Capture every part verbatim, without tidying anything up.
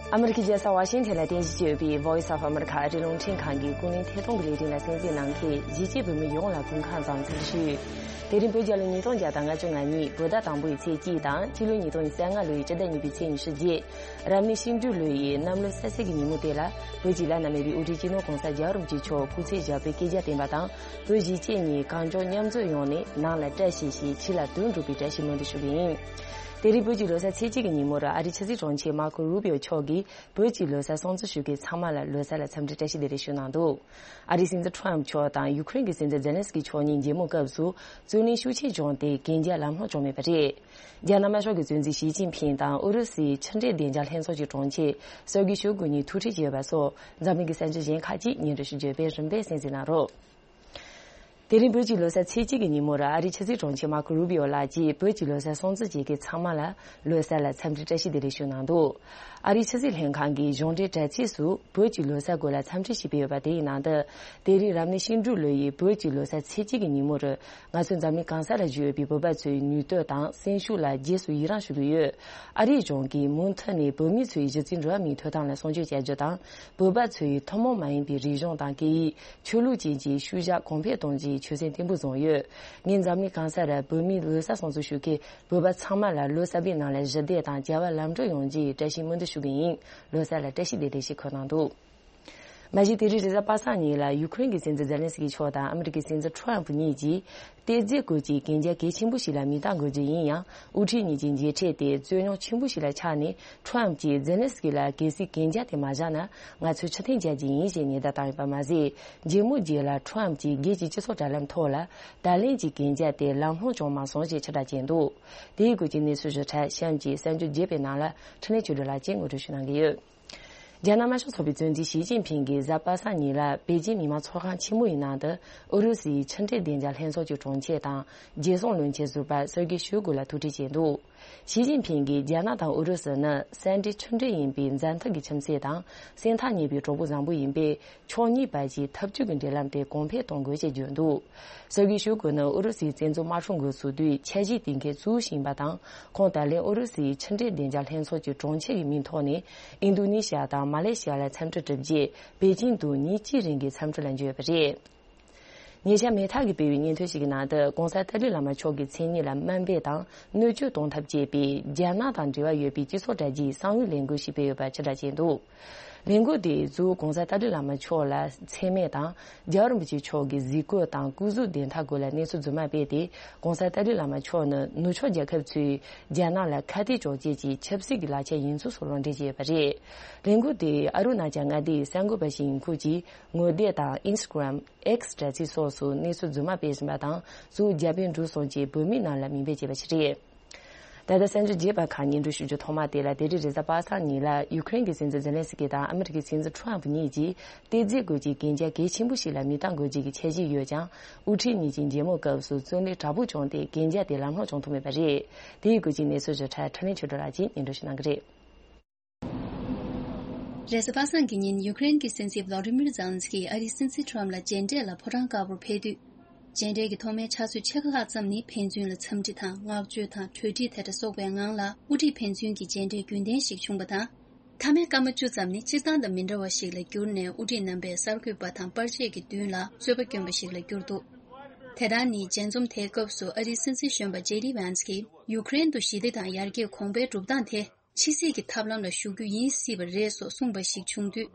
ཨ་མི་རི་ཀའི་རྒྱལ་ས་ཝ་ཤིང་ཐན་ལ་རྟེན་གཞི་བྱས་ཡོད་པའི་Voice of America ཨ་རིའི་རླུང་འཕྲིན་ཁང་གི་ཀུན་གླེང་ཐད་གཏོང་གི་ལས་རིམ་ལ་གསན་གཟིགས་གནང་མཁན་གཞིས་བྱེས་བོད་མི་ཡོངས་ལ་སྐུ་ཁམས་བཟང་འཚམས་འདྲི་ཞུ། དེ་རིང་བོད་རྒྱལ་ལོ་ཉིས་སྟོང་བརྒྱ་དང་ལྔ་བཅུ་ང་གཉིས་བོད་ཟླ་དང་པོའི་ཚེས་གཅིག་དང་སྤྱི་ལོ་ཉིས་སྟོང་ཉི་ཤུ་རྩ་ལྔ་ལོའི་སྤྱི་ཟླ་གཉིས་པའི་ཚེས་ཉི་ཤུ་བརྒྱད། རབ་གནས་ཤིང་འབྲུག་ལོའི་གནམ་ལོ་གསར་ཚེས་ཀྱི་ཉིན་མོ་དེ་ལ་བོད་ཀྱི་བླ་ན་མེད་པའི་དབུ་ཁྲིད་སྤྱི་ནོར་༸གོང་ས་༸རྒྱལ་བ་རིན་པོ་ཆེ་མཆོག་སྐུ་ཚེ་ཞབས་པད་བསྐལ་བརྒྱར་བརྟན་པ་དང་། བོད་གཞིས་བྱེས་གཉིས་གངས་ལྗོངས་མཉམ་འཛོམས་ཡོང་ནས་ནང་ལ་བཀྲ་ཤིས་ཤིང་ཕྱི་ལ་དོན་འགྲུབ་པའི་བཀྲ་ཤིས་སྨོན་འདུན་ཞུ་གི་ཡིན། དེ་རིང་བོད་ཀྱི་ལོ་གསར་ཚེས་གཅིག་གི་ཉིན་མོར་ཨ་རིའི་ཕྱི་སྲིད་དྲུང་ཆེ་མར་ཁོ་རུ་བིའོ་མཆོག་གིས་བོད་ཀྱི་ལོ་གསར་སྲུང་བརྩི་ཞུ་མཁན་ཚང་མ་ལ་ལོ་གསར་ལ་འཚམས་འདྲི་བཀྲ་ཤིས་བདེ་ལེགས་ཞུས་གནང་འདུག་ཨ་རིའི་སྲིད་འཛིན་ཁྲོམ་མཆོག་དང་ཡུ་ཁུ་རེན་གྱི་སྲིད་འཛིན་ཛེ་ལན་སི་ཀི་མཆོག་གཉིས་མཇལ་མོ་སྐབས་སུ་རྩོད་གླེང་ཤུགས་ཆེ་བྱུང་སྟེ་གན་རྒྱ་ལམ་ལྷོང་བྱུང་མེད་པ་རེད། རྒྱ་ནག་དམར་ཤོག་གི་གཙོ་འཛིན་ཞི་ཅིན་ཕིང་དང་ཨུ་རུ་སུའི་ཕྱི་འབྲེལ་བདེ་འཇགས་ལྷན་ཚོགས་ཀྱི་དྲུང་ཆེ་སེར་གི་ཤོ་གུ་གཉིས་ཐུག་འཕྲད་བྱས་པ་སོགས་འཛམ་གླིང་གི་གསར་འགྱུར་གཞན་ཁག་ཅིག་སྙན་སྒྲོན་ཞུ་རྒྱུ་བས་རིམ་པས་གསན་གཟིགས་གནང་རོགས། དེ་རིང་བོད་ཀྱི་ལོ་གསར་ཚེས་གཅིག་གི་ཉིན་མོར་ཨ་རིའི་ཕྱི་སྲིད་དྲུང་ཆེ་མར་ཁོ་རུ་བིའོ་ལགས་ཀྱིས་བོད་ཀྱི་ལོ་གསར་སྲུང་བརྩི་བྱེད་མཁན་ཚང་མ་ལ་ལོ་གསར་ལ་འཚམས་འདྲི་བཀྲ་ཤིས་བདེ་ལེགས་ཞུས་གནང་འདུག་ཨ་རིའི་ཕྱི་སྲིད་ལྷན་ཁང་གི་གཞུང་འབྲེལ་དྲ་ཚིགས་སུ་བོད་ཀྱི་ལོ་གསར་སྐོར་ལ་འཚམས་འདྲི་ཞིག་སྤེལ་ཡོད་པ་དེའི་ནང་དུ། དེ་རིང་རབ་གནས་ཤིང་འབྲུག་ལོ་ཡི་བོད་ཀྱི་ལོ་གསར་ཚེས་གཅིག་གི་ཉིན་མོར། ང་ཚོ་འཛམ་གླིང་གང་ས་ལ་བཞུགས་ཡོད་པའི་བོད་པ་ཚོའི་ནུས་སྟོབས་དང་སེམས་ཤུགས་ལ་རྗེས་སུ་ཡི་རངས་ཞུ་གི་ཡོད། ཨ་རིའི་གཞུང་གིས་མུ་མཐུད་ནས་བོད་མི་ཚོའི་གཞི་རྩའི་འགྲོ་བ་མིའི་ཐོབ་ཐང་ལ་སྲུང་སྐྱོབ་བྱ་རྒྱུ་དང་། བོད་པ་ཚོའི་ཐུན་མོང་མ་ཡིན་པའི་རིག་གཞུང་དང་སྐད་ཡིག་ཆོས་ལུགས་བཅས་ཀྱི་ཤུལ་བཞག་གོང་འཕེལ་གཏོང་རྒྱུའི་ཆོད་སེམས་བརྟན་པོ་བཟུང་ཡོད། ངས་འཛམ་གླིང་གང་ས་ར་བོད་མིའི་ལོ་གསར་སྲུང་བརྩི་ཞུ་མཁན་བོད་པ་ཚང་མ་ལ་ལོ་གསར་པའི་ནང་ལ་ཞི་བདེ་དང་བྱ་བ་ལམ་འགྲོ་ཡོང་རྒྱུའི་བཀྲ་ཤིས་སྨོན་འདུན་ཞུ་གི་ཡིན། ལོ་གསར་ལ་བཀྲ་ཤིས་བདེ་ལེགས་ཞེས་འཁོད་གནང་འདུག་མ་གཞི་དེ་རིང་རེས་གཟའ་པ་སངས་ཉིན་ལ་ཡུ་ཁུ་རེན་གྱི་སྲིད་འཛིན་ཛེ་ལན་སི་ཀི་མཆོག་དང་ཨ་མི་རི་ཀའི་སྲིད་འཛིན་ཁྲོམ་གཉིས་ཀྱིས་ཏེ་ཛེ་སྐོར་གྱི་གན་རྒྱ་གལ་ཆེན་པོ་ཞིག་ལ་མིང་རྟགས་འགོད་རྒྱུ་ཡིན་ཡང་། དབུ་ཁྲིད་གཉིས་ཀྱི་མཇལ་འཕྲད་དེ་རྩོད་རྙོག་ཆེན་པོ་ཞིག་ལ་ཆགས་ནས། ཁྲོམ་གྱིས་ཛེ་ལན་སི་ཀི་ལ་གལ་སྲིད་གན་རྒྱ་དེ་མ་བཞག་ན་ང་ཚོས་ཕྱིར་འཐེན་བྱ་རྒྱུ་ཡིན་ཞེས་ཉེན་བརྡ་བཏང་ཡོད་པ་མ་ཟད། མཇལ་མོ་རྗེས་ལ་ཁྲོམ་གྱིས་སྒེར་གྱི་སྤྱི་ཚོགས་དྲ་ལམ་ཐོག་ལ་ད་ལན་གྱི་གན་རྒྱ་དེ་ལམ་ལྷོང་བྱུང་མ་སོང་ཞེས་ཕྱིར་བསྒྲགས་བྱས་འདུག་དེའི་སྐོར་གྱི་གནས་ཚུལ་ཞིབ་ཕྲ་གཤམ་གྱི་གསར་འགྱུར་རྒྱས་པའི་ནང་ལ་འཕྲིན་ལས་ཆོས་སྒྲོན་ལགས་ཀྱིས་ངོ་སྤྲོད་ཞུ་གནང་གི་ཡོད། རྒྱ་ནག་དམར་ཤོག་ཚོགས་པའི་གཙོ་འཛིན་ཞི་ཅིན་ཕིང་གིས་གཟའ་པ་སངས་ཉིན་ལ་པེ་ཅིན་མི་དམངས་ཚོགས་ཁང་ཆེན་མོ་ཡི་ནང་དུ་ཨུ་རུ་སུའི་ཕྱི་འབྲེལ་བདེ་འཇགས་ལྷན་ཚོགས་ཀྱི་དྲུང་ཆེ་དང་རྒྱལ་སྲུང་བློན་ཆེན་ཟུར་པ་སེར་གྱི་ཤོ་གུ་ལ་ཐུག་འཕྲད་བྱས་འདུག་ཞི་ཅིན་ཕིང་གིས་རྒྱ་ནག་དང་ཨུ་རུ་སུ་ནི་སེ་འབྲེལ་ཆུང་འབྲེལ་ཡིན་པའི་མཛའ་མཐུན་གྱི་ཁྱིམ་མཚེས་དང་སེམས་ཐག་ཉེ་བའི་གྲོགས་པོ་བཟང་པོ་ཡིན་པས། ཕྱོགས་གཉིས་བར་གྱི་འཐབ་ཇུས་ཀྱི་འབྲེལ་ལམ་དེ་གོང་འཕེལ་གཏོང་དགོས་ཞེས་བརྗོད་འདུག་སེར་གྱི་ཤོ་གུ་ནི་ཨུ་རུ་སུའི་བཙན་འཛུལ་དམག་འཁྲུག་འགོ་ཚུགས་དུས་འཆར་གཞིའི་གཏན་འཁེལ་གཙོ་བོ་ཞིག་ཡིན་པ་དང་། ཁོང་ད་ལན་ཨུ་རུ་སུའི་ཕྱི་འབྲེལ་བདེ་འཇགས་ལྷན་ཚོགས་ཀྱི་དྲུང་ཆེ་གི་མིང་ཐོག་ནས་ཨིན་རྡུ་ནི་ཤི་ཡ་དང་མ་ལེ་ཤི་ཡ་ལ་འཚམས་འདྲི་གྲུབ་རྗེས་པེ་ཅིན་དུ་ཉིན་གཅིག་རིང་གི་འཚམས་འདྲི་ལ་འབྱོར་ཡོད་པ་རེད། ཉེ་ཆར་མེ་ཐག་གིས་སྤེལ་བའི་སྙན་ཐོ་ཞིག་གི་ནང་དུ་༸གོང་ས་ཏཱ་ལའི་བླ་མ་མཆོག་གི་མཚན་སྙན་ལ་དམའ་འབེབས་དང་གནོད་སྐྱོན་གཏོང་ཐབས་བྱས་པའི་རྒྱ་ནག་དང་འབྲེལ་བ་ཡོད་པའི་སྤྱི་ཚོགས་དྲ་རྒྱའི་གསང་བའི་ལས་འགུལ་ཞིག་སྤེལ་ཡོད་པ་ཕྱིར་བསྒྲགས་བྱས་འདུག་ལས་འགུལ་དེས་གཙོ་བོ་༸གོང་ས་ཏཱ་ལའི་བླ་མ་མཆོག་ལ་མཚན་སྨད་དང་། རྒྱལ་བ་རིན་པོ་ཆེ་མཆོག་གི་གཟིགས་སྐོར་དང་སྐུ་གཟུགས་བདེ་ཐང་སྐོར་ལ་གནས་ཚུལ་རྫུན་མ་སྤེལ་ཏེ། ༸གོང་ས་ཏཱ་ལའི་བླ་མ་མཆོག་ནི་ནུབ་ཕྱོགས་རྒྱལ་ཁབ་ཚོས་རྒྱ་ནག་ལ་ཁ་གཏད་གཅོག་བྱེད་ཀྱི་ཆབ་སྲིད་ཀྱི་ལག་ཆ་ཡིན་ཚུལ་སོགས་ལུང་འདྲེན་བྱས་ཡོད་པ་རེད། ལས་འགུལ་དེ་ཨ་རུ་ན་ཅལ་མངའ་སྡེའི་གསར་འགོད་པ་ཞིག་ཡིན་ཁུལ་གྱིས་ངོ་དེབ་དང་ཨིན་སི་ཊ་གྷི་རམ། X དྲ་ཚིགས་སོགས་སུ་གནས་ཚུལ་རྫུན་མ་སྤེལ་བཞིན་པ་དང་། གཙོ་བོ་རྒྱ་བལ་འབྲུག་གསུམ་གྱི་བོད་མིའི་ནང་ལ་མིང་འབོད་བྱས་པ་ཞིག་རེད། ད་ལྟ་གསར་འགྱུར་རྒྱས་པ་ཁག་སྙན་སྒྲོན་ཞུ་རྒྱུ་ཐོག་མ་དེ་ལ། དེ་རིང་རེས་གཟའ་པ་སངས་ཉིན་ལ་ཡུ་ཁུ་རེན་གྱི་སྲིད་འཛིན་ཛེ་ལན་སི་ཀི་དང་ཨ་མི་རི་ཀའི་སྲིད་འཛིན་ཁྲོམ་གཉིས་ཀྱིས་ཏེ་ཛེ་སྐོར་གྱི་གན་རྒྱ་གལ་ཆེན་པོ་ཞིག་ལ་མིང་རྟགས་འགོད་རྒྱུ་གི་འཆར་གཞི་ཡོད་ཀྱང་། དབུ་ཁྲིད་གཉིས་ཀྱི་མཇལ་མོལ་སྐབས་སུ་རྩོད་གླེང་དྲག་པོ་བྱུང་སྟེ་གན་རྒྱ་དེ་ལམ་ལྷོང་བྱུང་ཐུབ་མེད་པ་རེད། དེའི་སྐོར་གྱི་གནས་ཚུལ་ཞིབ་ཕྲ་འཕྲིན་ལས་ཆོས་སྒྲོན་ལགས་ཀྱིས་སྙན་སྒྲོན་ཞུ་གནང་གི་རེད། རེས་གཟའ་པ་སངས་ཀྱི་ཉིན་ཡུ་ཀེ་རེན་གྱི་སྲིད་འཛིན་བྷ་ལོ་ཌི་མིར་ཛེ་ལན་སི་ཀི་ཨ་རིའི་སྲིད་འཛིན་ཁྲོམ་ལ་མཇལ་འཕྲད་ལ་ཕོ་བྲང་དཀར་པོར་ཕེབས་དུས། མཇལ་འཕྲད་ཀྱི་ཐོག་མའི་ཕྱག་ཚོད་ཕྱེད་ཀ་ལྷག་ཙམ་ནི་ཕན་ཚུན་ལ་འཚམས་འདྲི་དང་བསྔགས་བརྗོད་དང་གྲོས་འདྲིས་དེ་འདྲ་སོགས་པའི་ངང་ལ་དབུ་ཁྲིད་ཕན་ཚུན་གྱི་མཇལ་འཕྲད་རྒྱུན་ལྡན་ཞིག་བྱུང་བ་དང་། མཐའ་མའི་སྐར་མ་བཅུ་ཙམ་ནི་སྤྱིར་བཏང་དང་མི་འདྲ་བ་ཞིག་ལ་གྱུར་ནས་དབུ་ཁྲིད་རྣམ་པས་གསར་འགོད་པ་དང་པར་ཆས་ཀྱི་མདུན་ལ་རྩོད་པ་བསྐྱོན་པ་ཞིག་ལ་གྱུར་འདུག་དེ་ལྟར་ནི་མཇལ་འཛོམས་དེའི་སྐབས་སུ་ཨ་རིའི་སྲིད་འཛིན་གཞོན་པ་ཇེ་ཌི་ཝན་སི་ཀིས་ཡུ་ཀེ་རེན་དུ་ཞི་བདེ་དང་ཡར་རྒྱས་གོང་འཕེལ་སྒྲུབ་སྟངས་དེ། ཕྱི་སྲིད་ཀྱི་ཐབས་ལམ་ལ་ཞུགས་རྒྱུ་ཡིན་སྲིད་པ་རེད་སོགས་གསུངས་པ་ཞིག་བྱུང་དུས།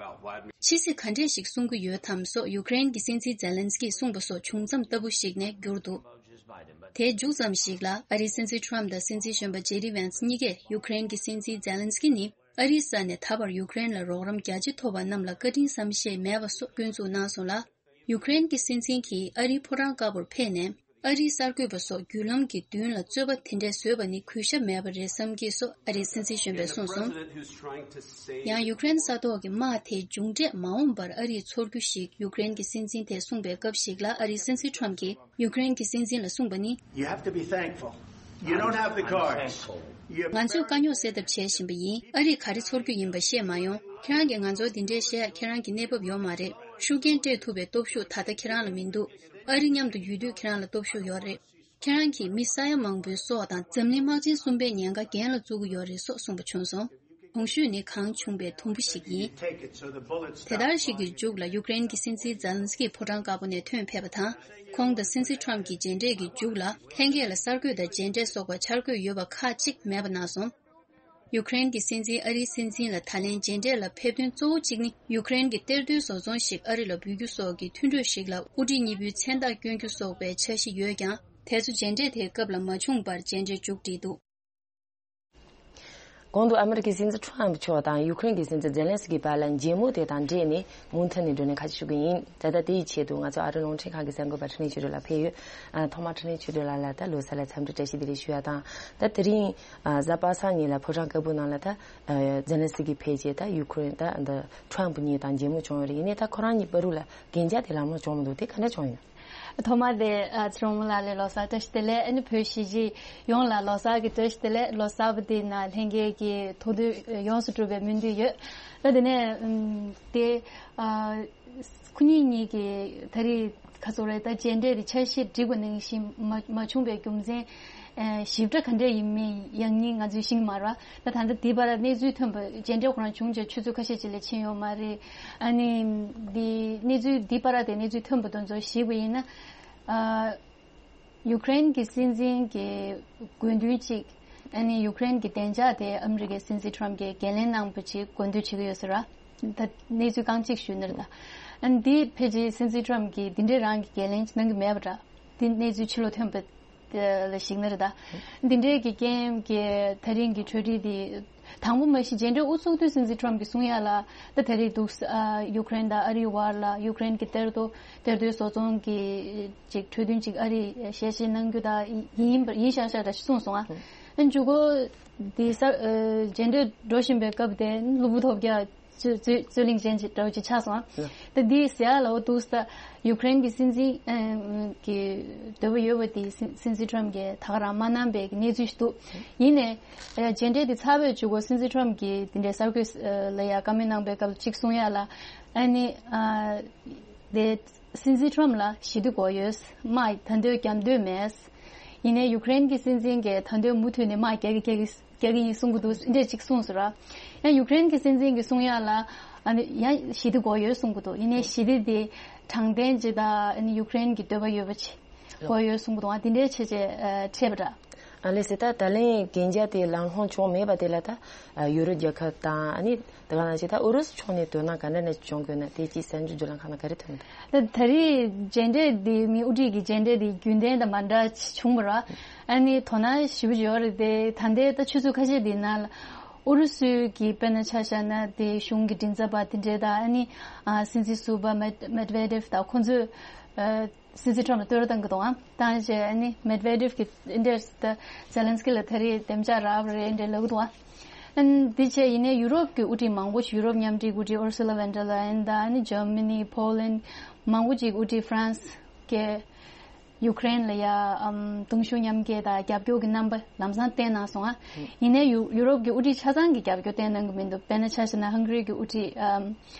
ཕྱི་སྲིད་ག་འདྲས་ཤིག་གསུང་གི་ཡོད་དམ་སོགས་ཡུ་ཀེ་རེན་གྱི་སྲིད་འཛིན་ཛེ་ལན་སི་ཀིས་གསུངས་པ་སོགས་བྱུང་མཚམས་ལྟ་བུ་ཞིག་ནས་གྱུར་འདུག་དེའི་མཇུག་ཙམ་ཞིག་ལ་ཨ་རིའི་སྲིད་འཛིན་ཁྲོམ་དང་སྲིད་འཛིན་གཞོན་པ་ཇེ་ཌི་ཝན་སི་གཉིས་ཀས་ཡུ་ཀེ་རེན་གྱི་སྲིད་འཛིན་ཛེ་ལན་སི་ཀི་ནི་ཨ་རིའི་ས་ནས་ད་བར་ཡུ་ཀེ་རེན་ལ་རོགས་རམ་རྒྱ་ཆེ་ཐོབ་པ་རྣམས་ལ་བཀའ་དྲིན་བསམ་ཤེས་མེད་པ་སོགས་སྐྱོན་འཛུགས་གནང་སོང་ལ། ཡུ་ཀེ་རེན་གྱི་སྲིད་འཛིན་གྱིས་ཨ་རིའི་ཕོ་བྲང་དཀར་པོར་ཕེབས་ནས། ཨ་རིའི་གསར་འགོད་པ་སོགས་བརྒྱུད་ལམ་གྱི་མདུན་ལ་རྩོད་པ་དེ་འདྲས་བཟོས་པ་ནི་གུས་ཞབས་མེད་པ་རེད་བསམ་གྱི་སོགས་ཨ་རིའི་སྲིད་འཛིན་གཞོན་པས་གསུངས་སོང་། ཡང་ཡུ་ཀེ་རེན་ས་ཐོག་གི་དམག་དེ་མཇུག་འབྲས་མ་འོངས་པར་ཨ་རིས་ཚོར་རྒྱུ་ཞིག་ཡུ་ཀེ་རེན་གྱི་སྲིད་འཛིན་དེས་གསུངས་པའི་སྐབས་ཤིག་ལ་ཨ་རིའི་སྲིད་འཛིན་ཁྲོམ་གྱིས་ཡུ་ཀེ་རེན་གྱི་སྲིད་འཛིན་ལ་གསུངས་པ་ནི། You have to be thankful. You don't have the cards. You have ང་ཚོས་དཀའ་རྙོག་སེལ་ཐབས་བྱེད་བཞིན་པ་ཡིན། ཨ་རིས་ག་རེ་ཚོར་རྒྱུ་ཡིན་པ་ཤེས་མ་ཡོང་། ཁྱེད་རང་གིས་ང་ཚོར་འདི་འདྲས་བཤད་ཡ་ཁྱེད་རང་གི་གནས་བབ་ཡོད་མ་རེད། ཤུགས་རྐྱེན་སྤྲད་ཐུབ་པའི་སྟོབས་ཤུགས་ད་ལྟ་ཁྱེད་རང་ལ་མི་འདུག་ཨ་རི་མཉམ་དུ་ཡོད་དུས་ཁྱེད་རང་ལ་སྟོབས་ཤུགས་ཡོད་རེད། ཁྱེད་རང་གིས་མི་ས་ཡ་མང་པོའི་སྲོག་དང་འཛམ་གླིང་དམག་ཆེན་གསུམ་པའི་ཉེན་ཁ་འགན་ལ་བཙུགས་ཀྱི་ཡོད་རེད་སོགས་གསུངས་པ་བྱུང་སོང་། གོང་ཞུས་ནི་གང་བྱུང་བའི་དུམ་བུ་ཞིག་ཡིན། དེ་ལྟར་ཞིག་གི་མཇུག་ལ་ཡུཀ་རེན་གྱི་སྲིད་འཛིན་ཛེ་ལན་སི་ཀི་ཕོ་བྲང་དཀར་པོ་ནས་ཐོན་ཕེབས་པ་དང་། ཁོང་དང་སྲིད་འཛིན་ཁྲོམ་གྱི་མཇལ་འཕྲད་ཀྱི་མཇུག་ལ་ལྷན་རྒྱས་ལ་གསར་འགོད་དང་མཇལ་འཕྲད་སོགས་པ་འཆར་འགོད་ཡོད་པ་ཁག་ཅིག་མེད་པ་གནང་སོང་། ཡུཀ་རེན་གྱི་སྲིད་འཛིན་ཨ་རིའི་སྲིད་འཛིན་ལ་ད་ལན་མཇལ་འཕྲད་ལ་ཕེབས་དོན་གཙོ་བོ་གཅིག་ནི། ཡུཀ་རེན་གྱི་གཏེར་སྟོན་བཟོ་ཚོང་ཞིག་ཨ་རི་ལ་འབུལ་རྒྱུ་སོགས་ཀྱི་མཐུན་གྲོས་ཤིག་ལ་དབུ་ཁྲིད་གཉིས་པོའི་མཚན་རྟགས་བསྐྱོན་རྒྱུ་སོགས་པའི་འཆར་གཞི་ཡོད་ཀྱང་། དེ་ཚོ་མཇལ་འཕྲད་དེའི་སྐབས་ལ་མ་བྱུང་བར་མཇལ་འཕྲད་མཇུག་བསྒྲིལ་འདུག། གོང་དུ་ཨ་མི་རི་ཀའི་སྲིད་འཛིན་ཁྲོམ་མཆོག་དང་ཡུཀ་རེན་གྱི་སྲིད་འཛིན་ཛེ་ལན་སི་ཀི་བར་ལ་མཇལ་མོལ་དེ་དང་འབྲེལ་ནས་མུ་མཐུད་ནས་བགྲོ་གླེང་ཁ་ཤས་ཞུ་གི་ཡིན། ད་ལྟ་དེ་ཡི་ཆེད་དུ་ང་ཚོ་ཨ་རི་རླུང་འཕྲིན་ཁང་གི་གསར་འགོད་པ་འཕྲིན་ལས་ཆོས་སྒྲོན་ལགས་ཕེབས་ཡོད། ཨ། ཐོག་མར་འཕྲིན་ལས་ཆོས་སྒྲོན་ལགས་ལ་ད་ལོ་གསར་འཚམས་འདྲི་བཀྲ་ཤིས་བདེ་ལེགས་ཞུ་ཡ་དང་། ད་དེ་རིང་ཨ་གཟའ་པ་སངས་ཉིན་ལ་ཕོ་བྲང་དཀར་པོའི་ནང་ལ་ད་ཨ་ཛེ་ལན་སི་ཀི་ཕེབས་རྗེས་ད་ཡུཀ་རེན་ད་འདི་ཁྲོམ་གཉིས་དང་མཇལ་མོལ་བྱུང་ཡོད་རེད། ཡིན་ནའི་ད་ཁོ་རང་གཉིས་བར་དུ་ལ་གན་རྒྱ་དེ་ལམ་ལྷོང་བྱུང་མི་འདུག། དེ་ག་འདྲ་བྱུང་ཡོད། ཐོག་མ་དེ་ཨ་ཚེ་རིང་ལགས་ལ་ལོ་གསར་བཀྲ་ཤིས་བདེ་ལེགས། ཨ་ནི་བོད་གཞིས་བྱེས་ཡོངས་ལ་ལོ་གསར་གྱི་བཀྲ་ཤིས་བདེ་ལེགས། ལོ་གསར་པ་དེ་ནང་ལྷན་རྒྱས་ཀྱི་ཐུགས་འདུན་ཡོངས་སུ་གྲུབ་པའི་སྨོན་འདུན་ཡོད། ཨ་དེ་ནས་ཨམ་དེ་ཨ་ཁོ་གཉིས་གཉིས་ཀྱི་ད་རེས་ཁ་སོ་རེ་ད་མཇལ་འཕྲད་དེ་འཆར་གཞི་བསྒྲིགས་པ་ནང་བཞིན་མ་མ་བྱུང་བའི་རྒྱུ་མཚན་ཨ་ཞིབ་ཕྲ་ག་འདྲ་ཡིན་མིན་ཡང་སྙིང་ང་ཚོས་ཤེས་ཀྱི་མ་རེད་བ། ད་ད་ལྟ་དེའི་བར་གནས་ཚུལ་ཐོན་པ་མཇལ་འཕྲད་ཁོ་རང་བྱུང་རྗེས་ཆུ་ཚོད་ཁ་ཤས་ཅིག་ལས་ཕྱིན་ཡོད་མ་རེད། ཨ་ནི་འདི་གནས་ཚུལ་འདི་བར་དེ་གནས་ཚུལ་ཐོན་པ་དེ་ཚོ་ཞིབ་པ་ཡིན་ན། ཨ། ཡུཀ་རེན་གྱི་སྲིད་འཛིན་གྱི་དགོས་འདུན་གཅིག་ཨ་ནི་ཡུཀ་རེན་གྱི་བདེ་འཇགས་དེ་ཨ་མི་རི་ཀའི་སྲིད་འཛིན་ཁྲོམ་གྱིས་འགན་ལེན་གནང་བ་ཅིག་དགོས་འདུན་བྱེད་ཀྱི་ཡོད་ཟེར་བ། ད་གནས་ཚུལ་རྐང་གཅིག་ཞུས་ནི་རེད་ད། ཨ་ནི་འདི་ཕལ་ཆེར་སྲིད་འཛིན་ཁྲོམ་གྱིས་འདི་འདྲའི་རང་གི་འགན་ལེན་གནང་གི་མེད་པ་འདྲ། འདི་གནས་ཚུལ་ཕྱི་ལོགས་ཐོན་པ་ལ་གཞིགས་ན་རེད་ད། འདི་འདྲའི་གི་རྐྱེན་གྱིས་ད་རིང་གི་གྲོས་འདྲི་འདི། དང་པོ་མ་གཞི་མཇལ་འཕྲད་དབུ་ཚུགས་དུས་སྲིད་འཛིན་ཁྲོམ་གྱིས་གསུང་ཡ་ལ་ད་ད་རེས་འདུག་ཨ་ཡུཀ་རེན་དང་ཨ་རིའི་བར་ལ་ཡུཀ་རེན་གྱི་གཏེར་རྡོ་གཏེར་རྡོའི་བཟོ་ཚོང་གི་ཅིག་གྲོས་མཐུན་ཅིག་ཨ་རིས་ཞལ་བཞེས་གནང་རྒྱུ་དང་ཡིན་པ་ཡིན་ཤག་ཤག་འདྲ་ཞིག་གསུངས་སོང་ཨ། ཨ་མཇུག་གུ་འདི་ས་ཨ་མཇལ་འཕྲད་འགྲོ་བཞིན་པའི་སྐབས་དེ་གློ་བུར་ཐོལ་རྒྱག་རྩོད་རྩོད་རྩོད་གླེང་ཅན་ཅིག་འདྲ་བོ་ཅིག་ཆགས་སོང་ཨ། ད་འདི་ཟེར་ཡ་ལ་འོ་འདུག་ས་ཡུཀ་རེན་གྱི་སྲིད་འཛིན་ཨ་གི་འདོད་པ་ཡོད་པ་དེ་སྲིད་སྲིད་འཛིན་ཁྲོམ་གྱིས་ད་ག་རང་མ་གནང་པའི་གནས་ཚུལ་ཞིག་འདུག། ཡིན་ནའི། ཨ་མཇལ་འཕྲད་དེ་ཚར་བའི་མཇུག་གུ་སྲིད་འཛིན་ཁྲོམ་གྱིས་དེ་འདྲའི་གསར་འགོད་ལ་ཡ་བཀའ་མོལ་གནང་པའི་སྐབས་ལ་གཅིག་གསུང་ཡ་ལ། ཨ་ནི་ཨ་དེ་སྲིད་འཛིན་ཁྲོམ་ལ་ཞི་བདེ་དགོས་ཡོད། དམག་ད་འདོད་རྒྱག་འདོད་མེད། ཡིན་ནའི་ཡུཀ་རེན་གྱི་སྲིད་འཛིན་གྱིས་ད་འདོད་མུ་མཐུད་ནས་དམག་རྒྱག་གི་རྒྱག་གི་རྒྱག་གི་ཡིན་གསུང་གི་འདུག་འདྲ་གཅིག་གསུངས་ཟེར་ར། ཡང་ཡུཀ་རེན་གྱི་སྲིད་འཛིན་གྱིས་གསུང་ཡ་ལ་ཨ་ནི་ཡང་ཞི་བདེ་དགོས་ཡོད་གསུང་གི་འདུག། ཡིན་ནའི་ཞི་བདེ་དེ་དྲང་བདེན་ཅིག་དང་ཨ་ནི་ཡུཀ་རེན་གྱི་འདོད་པ་ཡོད་པ་ཅིག་དགོས་ཡོད་གསུང་གི་འདུག། ཨ་དེ་འདྲའི་བྱས་རྗེས་ཨ་འཕྲད་པ་འདྲ། ཨ་ལེ་སི་ད་ད་ལན་གན་རྒྱ་དེ་ལམ་ལྷོང་བྱུང་མེད་པ་དེ་ལ་ད་ཨ་ཡུ་རོབ་རྒྱལ་ཁབ་དང་ཨ་ནི་དེ་ག་ནང་བཞིན་ད་ཨུ་རུ་སུ་ཕྱོགས་ནས་དོ་སྣང་ག་འདྲ་ནས་བྱུང་དགོས་ན་དེ་ཅིག་གསར་འགྱུར་བརྒྱུད་ལམ་ཁག་ནང་ག་རེ་ཐོན་འདུག། ད་ད་རེས་མཇལ་འཕྲད་འདི་མི་དབུ་ཁྲིད་ཀྱི་མཇལ་འཕྲད་འདི་རྒྱུན་ལྡན་དང་མ་འདྲ་བྱུང་བ་ར། ཨ་ནི་དོ་སྣང་ཞེ་པོ་ཅིག་ཡོད་རེད་དེ། ད་ལྟའི་ད་ཆུ་ཚོད་ཁ་ཤས་འདི་ནང་ལ་ཨུ་རུ་སུའི་གི་དཔེར་ན་ཆ་བཞག་ན་དེ་གཞུང་གི་མགྲིན་ཚབ་པ་དེ་འདྲས་དང་ཨ་ནི་ཨ་སྲིད་འཛིན་ཟུར་པ་མེད་མེད་ཝེ་ཌེབ་དང་ཁོང་ཚོས་ཨ་སྲིད་འཛིན་ཁྲོམ་ལ་བསྟོད་ར་བཏང་གི་འདུག་ཨང་། བཏང་རྗེས་ཨ་ནི་མེད་ཝེ་ཌེབ་ཀྱིས་འདི་འདྲས་ད་ཛེ་ལན་སི་ཀི་ལ་ད་རེས་བདེ་འཇགས་རག་པ་རེད་འདྲས་ལབ་གི་འདུག་ཨང་། ཨ་ནི་འདི་བྱས་ཡིན་ནའི་ཡུ་རོབ་ཀྱི་དབུ་ཁྲིད་མང་པོ་ཞིག་ཡུ་རོབ་མཉམ་འབྲེལ་དབུ་ཁྲིད་ཨུར་སུ་ལ་ཝན་ཌར་ལ་ཡན་དང་ཨ་ནི་ཇར་མ་ནི། ཕོ་ལན། མང་པོ་ཅིག་དབུ་ཁྲིད་ཧྥ་རན་སི་གི་ཡུཀ་རེན་ལ་ཡ་ཨམ་གདུང་ཤུགས་མཉམ་སྐྱེད་དང་རྒྱབ་སྐྱོར་གྱི་རྣམ་པ་ལམ་སང་བསྟན་གནང་སོང་ཨ། ཡིན་ནའི་ཡུ་ཡུ་རོབ་ཀྱི་དབུ་ཁྲིད་ཆ་ཚང་གིས་རྒྱབ་སྐྱོར་བསྟན་གནང་གི་མི་འདུག། དཔེར་ན་ཆ་བཞག་ན་ཧང་གྷ་རི་གི་དབུ་ཁྲིད་ཨམ་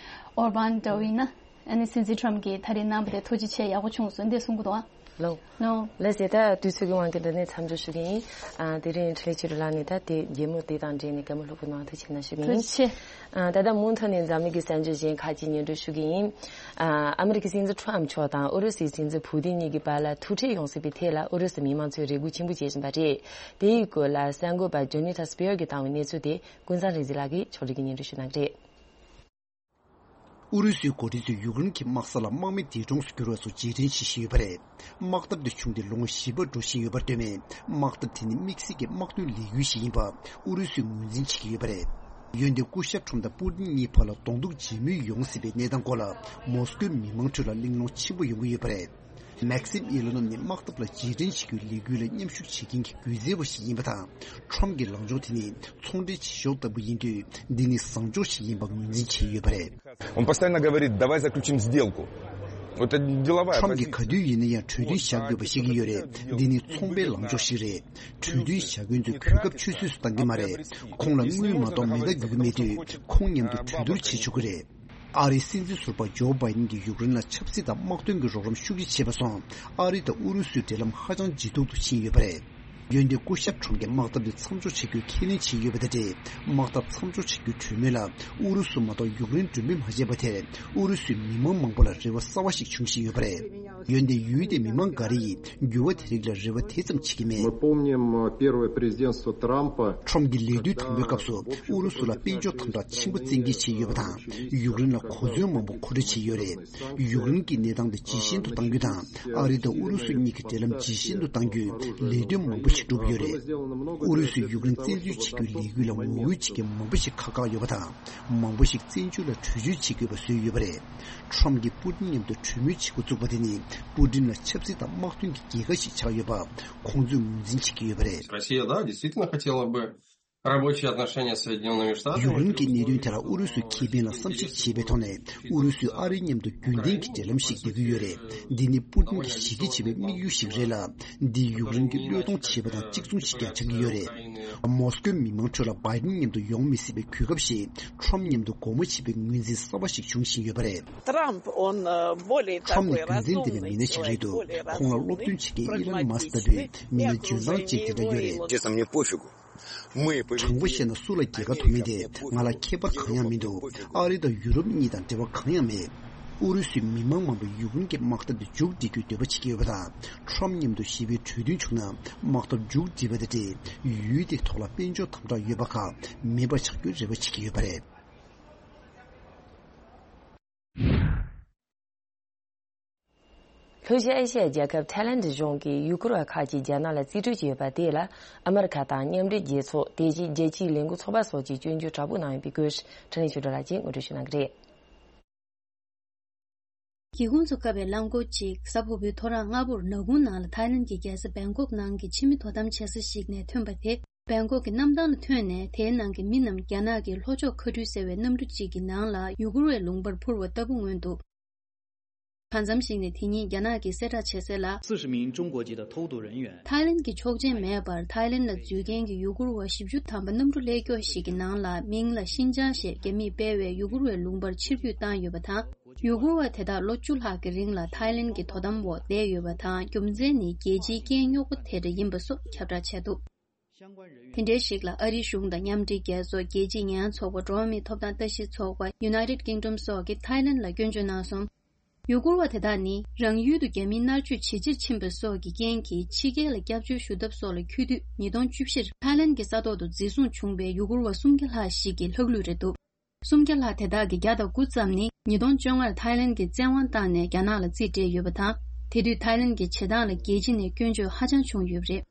ཨོར་བན་འདྲ་བོ་ཡིན་ན། ཨ་ནི་སྲིད་འཛིན་ཁྲོམ་གྱིས་ད་རེས་གནང་བ་དེ་ཐུགས་རྗེ་ཆེ། ཡག་པོ་བྱུང་སོང་འདི་གསུང་གི་འདུག་ཨ། ལོ། ལོ། ལགས་སེ། ད་དུས་ཚོད་ཀྱི་དབང་གིས་འདི་ནས་མཚམས་འཇོག་ཞུ་གི་ཡིན། ཨ་དེ་རིང་འཕྲིན་ལས་ཆོས་སྒྲོན་ལགས་ནས་ད་དེ་རྒྱལ་མོ་དེ་དང་འབྲེལ་ནས་བཀའ་མོལ་ལྷུག་པོ་གནང་ཐུགས་རྗེ་ཆེ་གནང་ཞུ་གི་ཡིན། ཐུགས་རྗེ་ཆེ། ཨ་ད་ལྟ་མུ་མཐུད་ནས་འཛམ་གླིང་གི་གསར་འགྱུར་གཞན་ཁག་ཅིག་སྙན་སྒྲོན་ཞུ་གི་ཡིན། ཨ་ཨ་མི་རི་ཀའི་སྲིད་འཛིན་ཁྲོམ་མཆོག་དང་ཨུ་རུ་སུའི་སྲིད་འཛིན་ཕུ་ཏིན་གཉིས་ཀྱི་བར་ལ་ཐུག་འཕྲད་ཡོང་སྲིད་པའི་ཐད་ལ་ཨུ་རུ་སུ་མི་མང་ཚོས་རེ་སྒུག་ཆེན་པོ་བྱེད་བཞིན་པ་རེད། དེ་ཡི་སྐོར་ལ་གསར་འགོད་པ་ཇོ་ནི་ཐ་སྤེར་གྱིས་བཏང་བའི་གནས་ཚུལ་དེ་ཀུན་བཟང་རིག་འཛིན་ལགས་ཀྱིས་ཕྱོགས་སྒྲིག་གིས་སྙན་སྒྲོན་ཞུ་གནང་གི་རེད། ཨུ་རུ་སུའི་འགོ་ཁྲིད་ཚོས་ཡུཀ་རེན་གྱི་དམག་ས་ལ་དམག་མི་འདས་གྲོངས་སུ་གྱུར་བ་སོགས་རྗེས་དྲན་བྱེད་བཞིན་ཡོད་པ་རེད། དམག་འཐབ་དེ་བྱུང་སྟེ་ལོ་ངོ་བཞི་པ་འགྲོ་བཞིན་ཡོད་པར་ལྟོས་ནས། དམག་འཐབ་དེ་ནི་དམིགས་བསལ་གྱི་དམག་དོན་ལས་འགུལ་ཞིག་ཡིན་པ་ཨུ་རུ་སུས་ངོས་འཛིན་བྱེད་ཀྱི་ཡོད་པ་རེད། འོན་ཏེ་སྐུ་ཞབས་ཁྲོམ་དང་པུ་ཏིན་གཉིས་བར་ལ་གདོང་ཐུག་མཇལ་མོལ་ཡོང་སྲིད་པའི་གནས་སྟངས་སྐོར་ལ་མོ་སི་ཀོའི་མི་མང་ཁྲོད་ལ་གླེང་སློང་ཆེན་པོ་ཡོང་གི་ཡོད་པ་རེད། མེག་སིམ་ཨི་ལོ་ནོབ་ནི་དམག་འཐབ་ལ་རྗེས་དྲན་བྱེད་རྒྱུའི་ལས་འགུལ་ལ་མཉམ་ཞུགས་བྱེད་མཁན་གྱི་སྒྱུ་རྩལ་བ་ཞིག་ཡིན་པ་དང་། ཁྲོམ་གྱི་ལངས་ཕྱོགས་དེ་ནི་ཚོང་འབྲེལ་བྱེད་ཕྱོགས་ལྟ་བུ་ཡིན་དུས། འདི་ནི་བཟང་ཕྱོགས་ཤིག་ཡིན་པ་ངོས་འཛིན་བྱས་ཡོད་པ་རེད། Он постоянно говорит: «Давай заключим сделку». Вот это деловая. Кроме кадуи на я чудин шагу башиги юре, дини цомбе ламчо шире. Чудин шагу инзу кюкап чусус танги маре. Кон ла муи мадо меда гюгмеди, кон нямду чудур чичугре. ཨ་རིའི་སྲིད་འཛིན་ཟུར་པ་ཇོ་བྷའི་ཏིན་གྱིས་ཡུཀ་རེན་ལ་ཆབ་སྲིད་དང་དམག་དོན་གྱི་རོགས་རམ་ཤུགས་ཆེ་བྱས་པ་སོང་། ཨ་རི་དང་ཨུ་རུ་སུའི་འབྲེལ་ལམ་ཧ་ཅང་ལྗིད་ཏོག་ཏུ་ཕྱིན་ཡོད་པ་རེད། འོན་ཏེ་སྐུ་ཞབས་ཁྲོམ་གྱིས་དམག་འཐབ་དེ་མཚམས་འཇོག་བྱེད་རྒྱུའི་ཁས་ལེན་བྱས་ཡོད་པ་དང་འབྲེལ། དམག་འཐབ་མཚམས་འཇོག་བྱེད་རྒྱུའི་གྲོས་མོལ་ལ་ཨུ་རུ་སུ་མ་གཏོགས་ཡུཀ་རེན་མགྲོན་འབོད་མ་བྱས་པ་དེར་ཨུ་རུ་སུའི་མི་མང་མང་པོ་ལ་རེ་བ་གསར་བ་ཞིག་འབྱུང་བཞིན་ཡོད་པ་རེད། འོན་ཏེ་ཡུལ་དེའི་མི་མང་འགའ་རེ་ཡིས་འགྱུར་བ་དེ་རིགས་ལ་རེ་བ་དེ་ཙམ་བྱེད་ཀྱི་མེད། Мы помним э, первое президентство Трампа. ཁྲོམ་གྱི་ལས་དུས་དང་པོའི་སྐབས་སུ་ཨུ་རུ་སུ་ལ་དཔལ་འབྱོར་དམ་དྲག་ཆེན་པོ་བཙན་འགེལ་བྱས་ཡོད་པ་དང་། ཡུཀ་རེན་ལ་གོ་མཚོན་མང་པོ་མཁོ་སྤྲོད་བྱས་ཡོད་རེད། ཡུཀ་རེན་གྱི་གནས་སྟངས་དེ་ཇེ་ཞན་དུ་གཏང་རྒྱུ་དང་། ཨ་རི་དང་ཨུ་རུ་སུ་གཉིས་ཀྱི་འབྲེལ་ལམ་ཇེ་ཞན་དུ་གཏང་རྒྱུའི་ལས་དོན་མང་པོ་ཞིག་བསྒྲུབས་ཡོད་རེད། ཨུ་རུ་སུས་ཡུཀ་རེན་བཙན་འཛུལ་བྱེད་རྒྱུའི་ལས་འགུལ་ལ་ངོ་རྒོལ་བྱེད་མཁན་མང་པོ་ཞིག་ཁག་ཁག་ཡོད་པ་དང་། མང་པོ་ཞིག་བཙན་བྱོལ་ལ་བྲོས་བྱོལ་བྱེད་དགོས་པ་བཟོས་ཡོད་པ་རེད། ཁྲོམ་གྱིས་པུ་ཏིན་མཉམ་དུ་གྲོས་མོལ་བྱེད་འགོ་བཙུགས་པ་དེ་ནི་པུ་ཏིན་ལ་ཆབ་སྲིད་དང་དམག་དོན་གྱི་རྒྱལ་ཁ་ཞིག་ཆགས་ཡོད་པ་ཁོང་ཚོས་ངོས་འཛིན་བྱེད་ཀྱི་ཡོད་པ་རེད། Россия, да, действительно хотела бы рабочие отношения с Соединёнными Штатами. ཡུཀ་རེན་གྱི་གནད་དོན་དེ་ལ་ཨུ་རུ་སུའི་ཁེ་ཕན་ལ་བསམ་གཞིག་བྱས་པའི་ཐོག་ནས་ཨུ་རུ་སུས་ཨ་རིའི་མཉམ་དུ་རྒྱུན་ལྡན་གྱི་འབྲེལ་ལམ་ཞིག་འདེད་ཀྱི་ཡོད་རེད། འདི་ནི་པུ་ཏིན་གྱིས་གཞི་རྒྱ་ཆེ་བའི་དམིགས་ཡུལ་ཞིག་རེད་ལ། འདིས་ཡུཀ་རེན་གྱི་བློས་གཏོང་བྱས་པ་དང་གཅིག་མཚུངས་ཤིག་ཀྱང་ཆགས་ཀྱི་ཡོད་རེད། མོ་སི་ཀོའི་མི་མང་ཁྲོད་ལ་བྷའི་ཌེན་མཉམ་དུ་ཡོང་མི་སྲིད་པའི་གོ་སྐབས་ཤིག་ཁྲོམ་མཉམ་དུ་སྒོ་མོ་ཕྱེ་བའི་ངོས་འཛིན་གསར་བ་ཞིག་འབྱུང་བཞིན་ཡོད་པ་རེད། Трамп, он э, более ཁྲོམ་ནི་такой རྒྱུ་མཚན་ལྡན་པའི་མི་སྣ་ཞིག་རེད་འདུག་ཁོང་ལ་སློབ་སྟོན་བྱེད་མཁན་ཨི་ལོན་མཱ་སི་ལྟ་བུའི་མི་སྣ་འཇོན་ཐང་ཅན་དེ་འདྲ་ཡོད་རེད། Честно, мне пофигу. Мы དྲང་པོ་བཤད་ན་སུ་ལ་རྒྱལ་ཁ་ཐོབ་མིན་དེ་ང་ལ་ཁྱད་པར་གང་ཡང་མི་འདུག་ཨ་རི་དང་ཡུ་རོབ་གཉིས་དང་འབྲེལ་བ་གང་ཡང་མེད། ཨུ་རུ་སུའི་མི་མང་མང་པོས་ཡུཀ་རེན་གྱི་དམག་འཐབ་དེ་མཇུག་སྒྲིལ་རྒྱུའི་འདོད་པ་བྱེད་ཀྱི་ཡོད་པ་དང་། ཁྲོམ་མཉམ་དུ་ཞི་བའི་གྲོས་མཐུན་བྱུང་ན་དམག་འཐབ་མཇུག་སྒྲིལ་བ་དང་འབྲེལ་ཡུལ་དེའི་ཐོག་ལ་དཔལ་འབྱོར་དམ་དྲག་ཡོད་པ་ཁག་མེད་པ་ཆགས་རྒྱུའི་རེ་བ་བྱེད་ཀྱི་ཡོད་པ་རེད། ལྷོ་ཤར་ཨེ་ཤི་ཡའི་རྒྱལ་ཁབ་ཐའི་ལན་གཞུང་གིས་ཡུ་གུར་བ་ཁག་ཅིག་རྒྱ་ནག་ལ་རྩིས་སྤྲོད་བྱས་ཡོད་པ་དེ་ལ་ཨ་མི་རི་ཁ་དང་མཉམ་འབྲེལ་རྒྱལ་ཚོགས། དེ་བཞིན་རྒྱལ་སྤྱིའི་ལས་འགུལ་ཚོགས་པ་སོགས་ཀྱིས་སྐྱོན་བརྗོད་དྲག་པོ་གནང་ཡོད་པའི་སྐོར་འཕྲིན་ལས་ཆོས་སྒྲོན་ལགས་ཀྱིས་ངོ་སྤྲོད་ཞུ་གནང་གི་རེད། སྒེའུ་ཁུང་ཚོ་བཀབ་པའི་རླངས་འཁོར་གཅིག་གཟའ་ཕུར་བུའི་ཐོ་རངས་སྔ་པོར་ནག་ཁུང་ནང་ལ་ཐའི་ལན་གྱི་རྒྱལ་ས་བེང་ཀོག་ནང་གི་ཕྱི་མི་དོ་དམ་བྱེད་ས་ཞིག་ནས་ཐོན་པ་དེ། བེང་ཀོག་གི་གནམ་ཐང་ལ་ཐོན་ནས་དེའི་ནང་གི་མི་རྣམས་རྒྱ་ནག་གི་ལྷོ་ཕྱོགས་མཁའ་འགྲུལ་ཟེར་བའི་གནམ་གྲུ་གཅིག་གི་ནང་ལ་ཡུ་གུར་བའི་ལུང་པར་འཕུར་བ་ལྟ་བུ་མངོན་འདུག་གང་འཚམ་ཞིག་ནས་དེ་ཉིད་རྒྱ་ནག་གིས་གསལ་བསྒྲགས་བྱས་གསལ་ལ། 四十名中国籍的偷渡人员 ཐའི་ལན་གྱི་ཆོག་མཆན་མེད་པར་ཐའི་ལན་ལ་འཛུལ་མཁན་གྱི་ཡུ་གུར་བ་བཞི་བཅུ་ཐམ་པ་གནམ་གྲུ་ཀླད་ཀྱོག་ཞིག་གི་ནང་ལ་མིང་ལ་ཤིན་ཅང་ཞེས་རྒྱ་མིས་སྤེལ་བའི་ཡུ་གུར་བའི་ལུང་པར་ཕྱིར་འབུད་བཏང་ཡོད་པ་དང་། ཡུ་གུར་བ་དེ་དག་ལོ་བཅུ་ལྷག་གི་རིང་ལ་ཐའི་ལན་གྱི་དོ་དམ་འོག་བསྡད་ཡོད་པ་དང་། རྒྱུ་མཚན་ནི་རྒྱལ་སྤྱིའི་རྐྱེན་རྙོག་པ་དེ་འདྲ་ཡིན་པ་སོགས་ཁྱབ་བསྒྲགས་བྱས་འདུག་དེ་འདྲའི་ཞིག་ལ་ཨ་རིའི་གཞུང་དང་མཉམ་འབྲེལ་རྒྱལ་ཚོགས། རྒྱལ་སྤྱིའི་ཉེས་ཡངས་ཚོགས་པ། འགྲོ་བ་མིའི་ཐོབ་ཐང་ལྟ་ཞིབ་ཚོགས་པ། United Kingdom སོགས་ཀྱིས་ཐའི་ལན་ལ་སྐྱོན་བརྗོད་གནང་སོང་། ཡུ་གུར་བ་དེ་དག་ནི་རང་ཡུལ་དུ་རྒྱ་མིའི་མནར་གཅོད་ཇེ་ཆེར་ཕྱིན་པ་སོགས་ཀྱི་རྐྱེན་གྱིས་ཕྱི་རྒྱལ་ལ་སྐྱབས་བཅོལ་ཞུ་ཐབས་སོགས་ལ་འཁྱོལ་དུས། ཉིས་སྟོང་བཅུ་བཞིར་ཐའི་ལན་གྱི་ས་ཐོག་ཏུ་འཛིན་བཟུང་བྱུང་བའི་ཡུ་གུར་བ་སུམ་བརྒྱ་ལྷག་ཞིག་གི་ལྷག་ལུས་རེད་འདུག་སུམ་བརྒྱ་ལྷག་དེ་དག་གི་བརྒྱ་དང་དགུ་ཙམ་ནི་ཉིས་སྟོང་བཅོ་ལྔར་ཐའི་ལན་གྱིས་བཙན་དབང་བཏང་ནས་རྒྱ་ནག་ལ་རྩིས་སྤྲད་ཡོད་པ་དང་། དེ་དུས་ཐའི་ལན་གྱི་བྱེད་སྟངས་ལ་རྒྱལ་སྤྱི་ནས་སྐྱོན་བརྗོད་ཧ་ཅང་བྱུང་ཡོད་པ་རེད།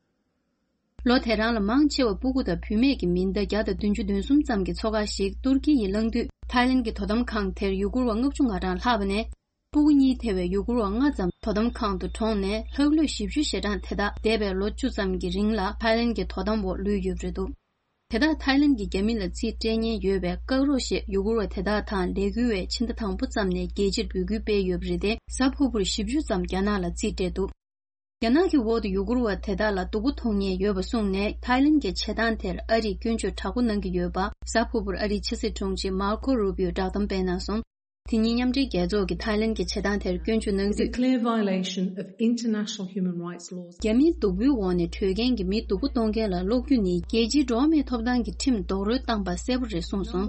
ལོ་དེ་རང་ལ་མང་ཆེ་བ་སྤུ་གུ་དང་བུད་མེད་ཀྱི་མི་ཟླ་བརྒྱ་དང་བདུན་ཅུ་དོན་གསུམ་ཙམ་གྱི་ཚོགས་ཁག་ཞིག་ཏུར་ཀི་ཡིས་བླངས་དུས། ཐའི་ལན་གྱི་དོ་དམ་ཁང་དེར་ཡུ་གུར་བ་ལྔ་བཅུ་ང་གྲངས་ལྷག་པ་ནས། སྤུ་གུ་གཉིས་ཐེ་བའི་ཡུ་གུར་བ་ལྔ་ཙམ་དོ་དམ་ཁང་དུ་གྲོངས་ནས། ལྷག་ལུས་བཞི་བཅུ་ཞེ་གྲངས་དེ་དག་འདས་པའི་ལོ་བཅུ་ཙམ་གྱི་རིང་ལ་ཐའི་ལན་གྱི་དོ་དམ་འོག་ལུས་ཡོད་པ་རེད་འདུག་དེ་དག་ཐའི་ལན་གྱིས་རྒྱ་མི་ལ་རྩིས་སྤྲད་མཁན་ཡོད་པས་བཀག་རོགས་ཞེས་ཡུ་གུར་བ་དེ་དག་དང་ལས་འགུལ་བས་ཕྱི་ཟླ་དང་པོ་ཙམ་ནས་རྒྱལ་སྤྱིར་འབོད་སྐུལ་སྤེལ་ཡོད་པ་རེད་དེ། གཟའ་ཕུར་བུར་བཞི་བཅུ་ཙམ་རྒྱ་ནག་ལ་རྩིས་སྤྲད་འདུག་རྒྱ་ནག་གི་འོག་ཏུ་ཡུ་གུར་བ་དེ་དག་ལ་སྡུག་པོ་མཐོང་མཁན་ཡོད་པ་གསུངས་ནས། ཐའི་ལན་གྱི་བྱེད་སྟངས་དེར་ཨ་རིས་སྐྱོན་བརྗོད་དྲག་པོ་གནང་གི་ཡོད་པ། གཟའ་ཕུར་བུར་ཨ་རིའི་ཕྱི་སྲིད་དྲུང་ཆེ་མར་ཁོ་རུ་པིའོ་བསྒྲགས་གཏམ་སྤེལ་གནང་སོང་། དེ་ཉིན་མཉམ་འབྲེལ་རྒྱལ་ཚོགས་ཀྱིས་ཐའི་ལན་གྱི་བྱེད་སྟངས་དེར་སྐྱོན་བརྗོད་གནང་དུས། It's a clear violation of international human rights laws. རྒྱ་མིའི་སྡུག་པོའི་འོག་ནས་བྲོས་མཁན་གྱི་མི་སྡུག་པོ་གཏོང་མཁན་ལ་སློག་རྒྱུ་ནི་རྒྱལ་སྤྱིའི་འགྲོ་བ་མིའི་ཐོབ་ཐང་གི་ཁྲིམས་རྡོག་རོལ་བཏང་པ་གསལ་པོ་རེད་གསུངས་སོང་།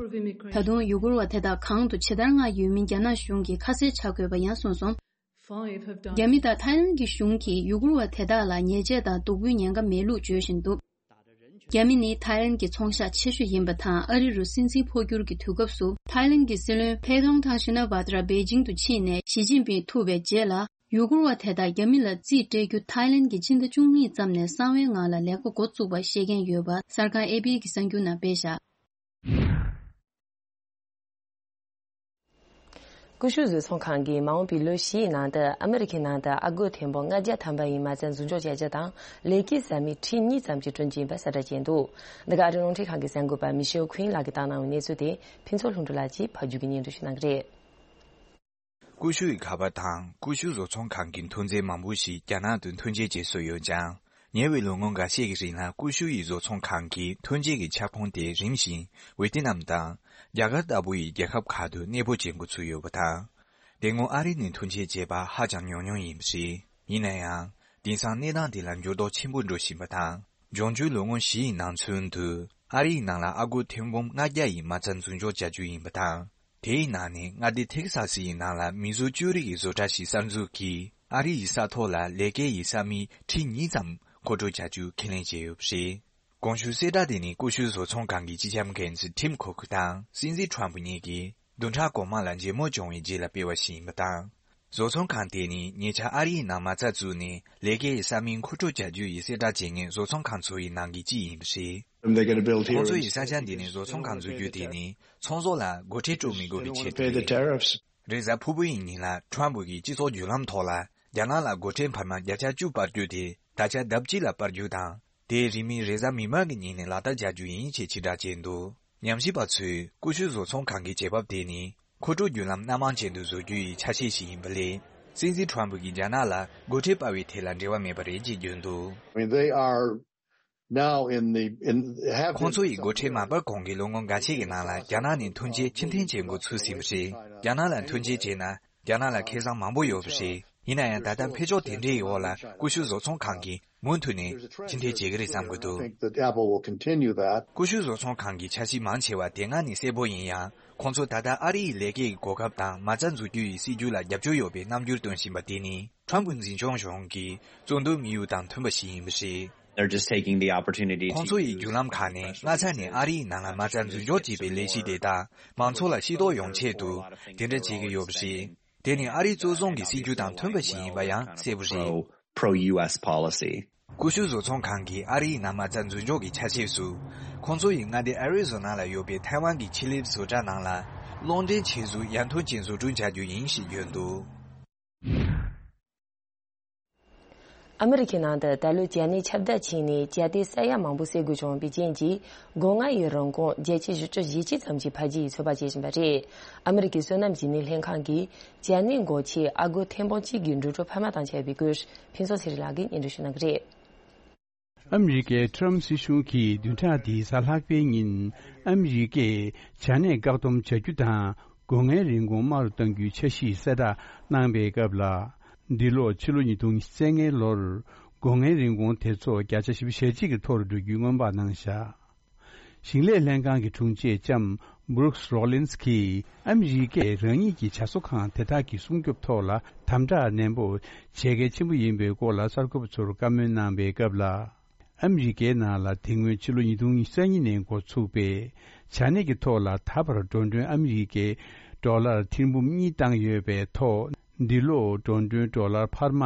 ད་དུང་ཡུ་གུར་བ་དེ་དག་གང་དུ་ཇི་ལྟར་མངགས་ཡོད་མིན་རྒྱ་ནག་གཞུང་གིས་ཁ་གསལ་ཆགས་དགོས་པ་ཡང་གསུངས་སོང་། རྒྱ་མི་དང་ཐའི་ལན་གྱི་གཞུང་གིས་ཡུ་གུར་བ་དེ་དག་ལ་ཉེས་ཆད་དང་སྡུག་པོའི་ཉེན་ཁ་མེད་ལུགས་བརྗོད་བཞིན་འདུག་རྒྱ་མི་ནི་ཐའི་ལན་གྱི་ཚོང་ཤག་ཆེ་ཤོས་ཡིན་པ་དང་། ཨ་རི་རུ་སྲིད་འཛིན་འཕོ་འགྱུར་གྱི་དུས་སྐབས་སུ། ཐའི་ལན་གྱི་སྲིད་བློན་ཕེ་ཐོང་ཐང་ཤི་ན་བྷ་དྲ་པེ་ཅིང་དུ་ཕྱིན་ནས་ཞི་ཅིན་ཕིང་ཐུག་པའི་རྗེས་ལ། ཡུ་གུར་བ་དེ་དག་རྒྱ་མི་ལ་རྩིས་སྤྲད་རྒྱུ་ཐའི་ལན་གྱིས་སྤྱི་ཟླ་བཅུ་གཉིས་ཙམ་ནས་གསང་བའི་ངང་ལ་ལས་ཀ་འགོ་བཙུགས་པ་ཤེས་མཁན་ཡོད་པ་གསར་ཁང་ཨེ་པི་གི་གསར་འགྱུར་ནང་སྤེལ་བཞག་ཀུ་ཤུ་བཟོ་ཚོང་ཁང་གིས་མ་འོངས་པའི་ལོ་བཞིའི་ནང་དུ་ཨ་མི་རི་ཁའི་ནང་དུ་ཨ་སྒོར་ཐེར་འབུམ་ལྔ་བརྒྱ་ཐམ་པ་ཡི་མ་རྩ་འཛུགས་འཇོག་བྱ་རྒྱུ་དང་། ལས་ཀའི་ས་མིག་ཁྲི་གཉིས་ཙམ་ཞིག་བསྐྲུན་རྒྱུ་ཡིན་པ་གསལ་བསྒྲགས་བྱས་འདུག་འདི་ག་ཨ་རིའི་རླུང་འཕྲིན་ཁང་གི་གསར་འགོད་པ་མི་ཤེལ་ཁུན་ལགས་ཀྱིས་བཏང་གནང་བའི་གནས་ཚུལ་དེ་ཕུན་ཚོགས་ལྷུན་གྲུབ་ལགས་ཀྱིས་ཕབ་སྒྱུར་གྱིས་སྙན་སྒྲོན་ཞུ་གནང་གི་རེད། ཀུ་ཤུ་ཡི་ཁ་པར་དང་ཀུ་ཤུ་བཟོ་ཚོང་ཁང་གི་ཐོན་རྫས་མང་པོ་ཞིག་རྒྱ་ནག་ཏུ་ཐོན་འབྱེད་བྱེད་སྲོལ་ཡོད་ཀྱང་། ཉེ་བའི་ལོ་ངོ་འགའ་ཤས་ཀྱི་རིང་ལ་ཀུ་ཤུ་ཡི་བཟོ་ཚོང་ཁང་གི་ཐོན་འབྱེད་ཀྱི་ཁྱབ་ཁོངས་དེ་རིམ་བཞིན་ཝེ་ཏི་ནམ་དང་རྒྱ་གར་ལྟ་བུ་ཡི་རྒྱལ་ཁབ་ཁག་ཏུ་གནས་སྤོ་བྱེད་འགོ་ཚུགས་ཡོད་པ་དང་། དེ་སྔོན་ཨ་རི་ནས་ཐོན་འབྱེད་བྱས་པ་ཧ་ཅང་ཉུང་ཉུང་ཡིན་པ་རེད། ཡིན་ན་ཡང་། དེང་སང་གནས་སྟངས་དེ་ལ་འགྱུར་ལྡོག་ཆེན་པོ་འགྲོ་བཞིན་པ་དང་ འབྱུང་འགྱུར་ལོ་ངོ་བཞི་ཡི་ནང་ཚུན་དུ་ཨ་རི་ཡི་ནང་ལ་ཨ་སྒོར་ཐེར་འབུམ་ལྔ་བརྒྱ་ཡི་མ་རྩ་འཛུགས་འཇོག་བྱ་རྒྱུ་ཡིན་པ་དང་། དེའི་ནང་ནས་མངའ་སྡེ་ཐེག་ས་སི་ཡི་ནང་ལ་མིག་ཟུར་བཅུ་རེ་ཡི་བཟོ་གྲྭ་ཞིག་གསར་འཛུགས་ཀྱིས་ཨ་རི་ཡི་ས་ཐོག་ལ་ལས་ཀའི་ས་མིག་ཁྲི་གཉིས་ཙམ་མཁོ་སྤྲོད་བྱ་རྒྱུ་ཁས་ལེན་བྱས་ཡོད་པ་རེད། གོང་ཞུས་གསལ་བསྒྲགས་དེ་ནི་ཀུ་ཤུ་བཟོ་ཚོང་ཁང་གི་སྤྱི་ཁྱབ་འགན་འཛིན་ཊིམ་ཁོ་ཁུ་དང་སྲིད་འཛིན་ཁྲོམ་ཕུ་གཉིས་ཀྱིས་བདུན་ཕྲག་གོང་མ་ལ་མཇལ་མོལ་བྱུང་བའི་རྗེས་ལ་སྤེལ་བ་ཞིག་ཡིན་པ་དང་། བཟོ་ཚོང་ཁང་དེ་ནི་ཉེ་ཆར་ཨ་རིའི་ནང་མ་རྩ་བཙུགས་ནས་ལས་ཀའི་ས་མིག་མཁོ་སྤྲོད་བྱ་རྒྱུ་ཡི་གསལ་བསྒྲགས་བྱེད་མཁན་བཟོ་ཚོང་ཁང་ཚོ་ཡི་ནང་གི་གཅིག་ཡིན་པ་རེད། And they get a bill here ཁོང་ཚོ་ཡི་ས་ཆ་འདི་ནས་བཟོ་ཚོང་ཁང་འཛུགས་རྒྱུ་དེ་ནི་ཚོང་ཟོག་ལ་སྒོ་ཁྲལ་སྤྲོད་མི་དགོས་པའི་ཆེད་དུ་རེད། རེས་གཟའ་ཕུར་བུ་ཡི་ཉིན་ལ་ཁྲོམ་ཕུ་གི་སྤྱི་ཚོགས་བརྒྱུད་ལམ་ཐོག་ལ་རྒྱ་ནག་ལ་སྒོ་ཁྲལ་འཕར་མ་བརྒྱ་ཆ་བཅུ་སྤར་རྒྱུ་དེ་ད་ཆ་ལྡབ་གཅིག་ལ་སྤར་རྒྱུ་དང་། དེ་རིང་མིན་རེས་གཟའ་མིག་དམར་གྱི་ཉིན་ནས་ལག་བསྟར་བྱ་རྒྱུ་ཡིན་ཞེས་ཕྱིར་བསྒྲགས་བྱས་འདུག་ཉམས་ཞིབ་པ་ཚོས་ཀུ་ཤུ་བཟོ་ཚོང་ཁང་གི་བྱེད་བབ་དེ་ནི་མཁོ་སྤྲོད་བརྒྱུད་ལམ་སྣ་མང་ཅན་དུ་བཟོ་རྒྱུ་ཡི་ཆ་ཤས་ཤིག་ཡིན་པ་ལས། སྲིད་འཛིན་ཁྲོམ་ཕུ་གིས་རྒྱ་ནག་ལ་སྒོ་ཁྲལ་སྤར་བའི་ཐད་ལ་འབྲེལ་བ་མེད་པ་རེད་ཅེས་བརྗོད་འདུག I mean, they are now in the, in, have ཁོང་ཚོ་ཡིས་སྒོ་ཁྲལ་མ་སྤར་གོང་གི་ལོ་ངོ་འགའ་ཤས་ཀྱི་ནང་ལ་རྒྱ་ནག་ནས་ཐོན་སྐྱེད་ཕྱིར་འཐེན་བྱེད་འགོ་ཚུགས་ཟིན་པ་རེད། རྒྱ་ནག་ལ་ཐོན་སྐྱེད་བྱས་ན། རྒྱ་ནག་ལ་ཁེ་བཟང་མང་པོ་ཡོད་པ་རེད། ཡིན་ན་ཡང་ད་ལྟ་འཕེལ་ཕྱོགས་དེ་འདྲའི་འོག་ལ་ཀུ་ཤུ་བཟོ་ཚོང་ཁང་གིས་མུ་མཐུད་ནས་ཕྱིར་འཐེན་བྱེད་ཀྱི་རེད་བསམ་གྱི་འདུག Think that Apple will continue that. ཀུ་ཤུ་བཟོ་ཚོང་ཁང་གི་འཆར་གཞི་མང་ཆེ་བ་དེ་སྔ་ནས་གསལ་པོ་ཡིན་ཡང་། ཁོང་ཚོ་ད་ལྟ་ཨ་རི་ཡི་ལས་ཀའི་གོ་སྐབས་དང་མ་རྩ་འཛུགས་རྒྱུ་ཡི་སྲིད་ཇུས་ལ་རྒྱབ་སྐྱོར་ཡོད་པའི་རྣམ་འགྱུར་སྟོན་བཞིན་པ་དེ་ནི་ཁྲོམ་ཕུ་འཛིན་སྐྱོང་གཞུང་གི་གཙོ་འདོན་དམིགས་ཡུལ་དང་མཐུན་པ་ཞིག་ཡིན་པ་རེད། They're just taking the opportunity to ཁོང་ཚོ་ཡི་བརྒྱུད་ལམ་ཁག་ནས་སྔ་ས་ནས་ཨ་རིའི་ནང་ལ་མ་རྩ་འཛུགས་འཇོག་བྱས་པའི་ལས་གཞི་དེ་དག་མང་ཚོགས་ལ་ཤེས་རྟོགས་ཡོང་ཆེད་དུ་དེ་འདྲ་བྱེད་ཀྱི་ཡོད་པ་རེད། དེ་ནི་ཨ་རིའི་གཙོ་བཟུང་གི་སྲིད་ཇུས་དང་མཐུན་པ་ཞིག་ཡིན་པ་ཡང་གསལ་པོ་རེད། Pro, pro-U S policy. ཀུ་ཤུ་བཟོ་ཚོང་ཁང་གིས་ཨ་རིའི་ནང་མ་རྩ་འཛུགས་འཇོག་གི་ཆ་ཤས་སུ། ཁོང་ཚོ་ཡི་མངའ་སྡེ་ཨ་རི་ཛོ་ན་ལ་ཡོད་པའི་ཐའེ་ཝན་གྱི་ཆེད་ལས་བཟོ་གྲྭ་ནང་ལ། གློག་འདྲེན་ཆེད་དུ་ཡར་ཐོན་ཅན་བཟོ་སྐྲུན་བྱ་རྒྱུ་ཡིན་ཞེས་བརྗོད་འདུག་ཨ་མི་རི་ཁའི་ནང་དུ་ད་ལོའི་ཇ་ནད་ཁྱབ་གདལ་ཕྱིན་ནས་ཇ་དེ་ས་ཡ་མང་པོ་བསད་དགོས་བྱུང་བའི་རྐྱེན་གྱིས། སྒོ་ལྔ་ཡི་རིན་གོང་བརྒྱད་ཅུ་ཞེ་གཅིག་ཙམ་གྱིས་འཕར་རྒྱས་ཡི་ཚོད་དཔག་བྱེད་བཞིན་པ་རེད། ཨ་མི་རི་ཀའི་སོ་ནམ་གྱི་སྣེ་ལེན་ཁང་གིས་ཇ་ནད་འགོག་ཆེད་ཨ་སྒོར་ཐེར་འབུམ་གཅིག་གི་འགྲོ་གྲོན་འཕར་མ་བཏང་བྱས་པའི་སྐོར་ཕུན་ཚོགས་ཚེ་རིང་ལགས་ཀྱིས་སྙན་སྒྲོན་ཞུ་གནང་གི་རེད། ཨ་མི་རི་ཀའི་ཁྲོམ་སྲིད་གཞུང་གིས་བདུན་ཕྲག་འདིའི་གཟའ་ལྷག་པའི་ཉིན་ཨ་མི་རི་ཀས་ཇ་ནད་བཀག་སྡོམ་བྱ་རྒྱུ་དང་སྒོ་ལྔའི་རིན་གོང་དམའ་རུ་གཏང་རྒྱུའི་འཆར་གཞི་གསལ་བསྒྲགས་གནང་པའི་སྐབས་ལ། འདི་ལོ་ཕྱི་ལོ་ཉིས་སྟོང་ཉི་ཤུ་རྩ་ལྔའི་ལོར་སྒོ་ལྔའི་རིན་གོང་དེ་ཚོ་བརྒྱ་ཆ་བཞི་བཅུ་ཞེ་གཅིག་གི་མཐོ་རུ་འགྲོ་རྒྱུའི་སྔོན་དཔག་གནང་བཞག་ཞིང་ལས་ལྷན་ཁང་གི་དྲུང་ཆེ་ལྕམ་Brooks Rollins གྱིས་ཨ་མི་རི་ཀས་རང་ཉིད་ཀྱི་ཇ་བཟོ་ཁང་དེ་དག་གི་སྲུང་སྐྱོབ་ཐོག་ལ་དམ་དྲག་ནན་པོ་བྱེད་གལ་ཆེན་པོ་ཡིན་པའི་སྐོར་ལ་གསར་འགོད་པ་ཚོར་བཀའ་མོལ་གནང་པའི་སྐབས་ལ། ཨ་མི་རི་ཀའི་ནང་ལ་དེ་སྔོན་ཕྱི་ལོ་ཉིས་སྟོང་ཉི་ཤུ་རྩ་གཉིས་ནས་འགོ་ཚུགས་པའི་ཇ་ནད་ཀྱི་ཐོག་ལ་ད་བར་འགྲོ་གྲོན་ཨ་མི་རི་ཀའི་ཌོ་ལར་ཐེར་འབུམ་གཉིས་བཏང་ཡོད་པའི་ཐོག་འདི་ལོ་འགྲོ་གྲོན་ཌོ་ལར་འཕར་མ་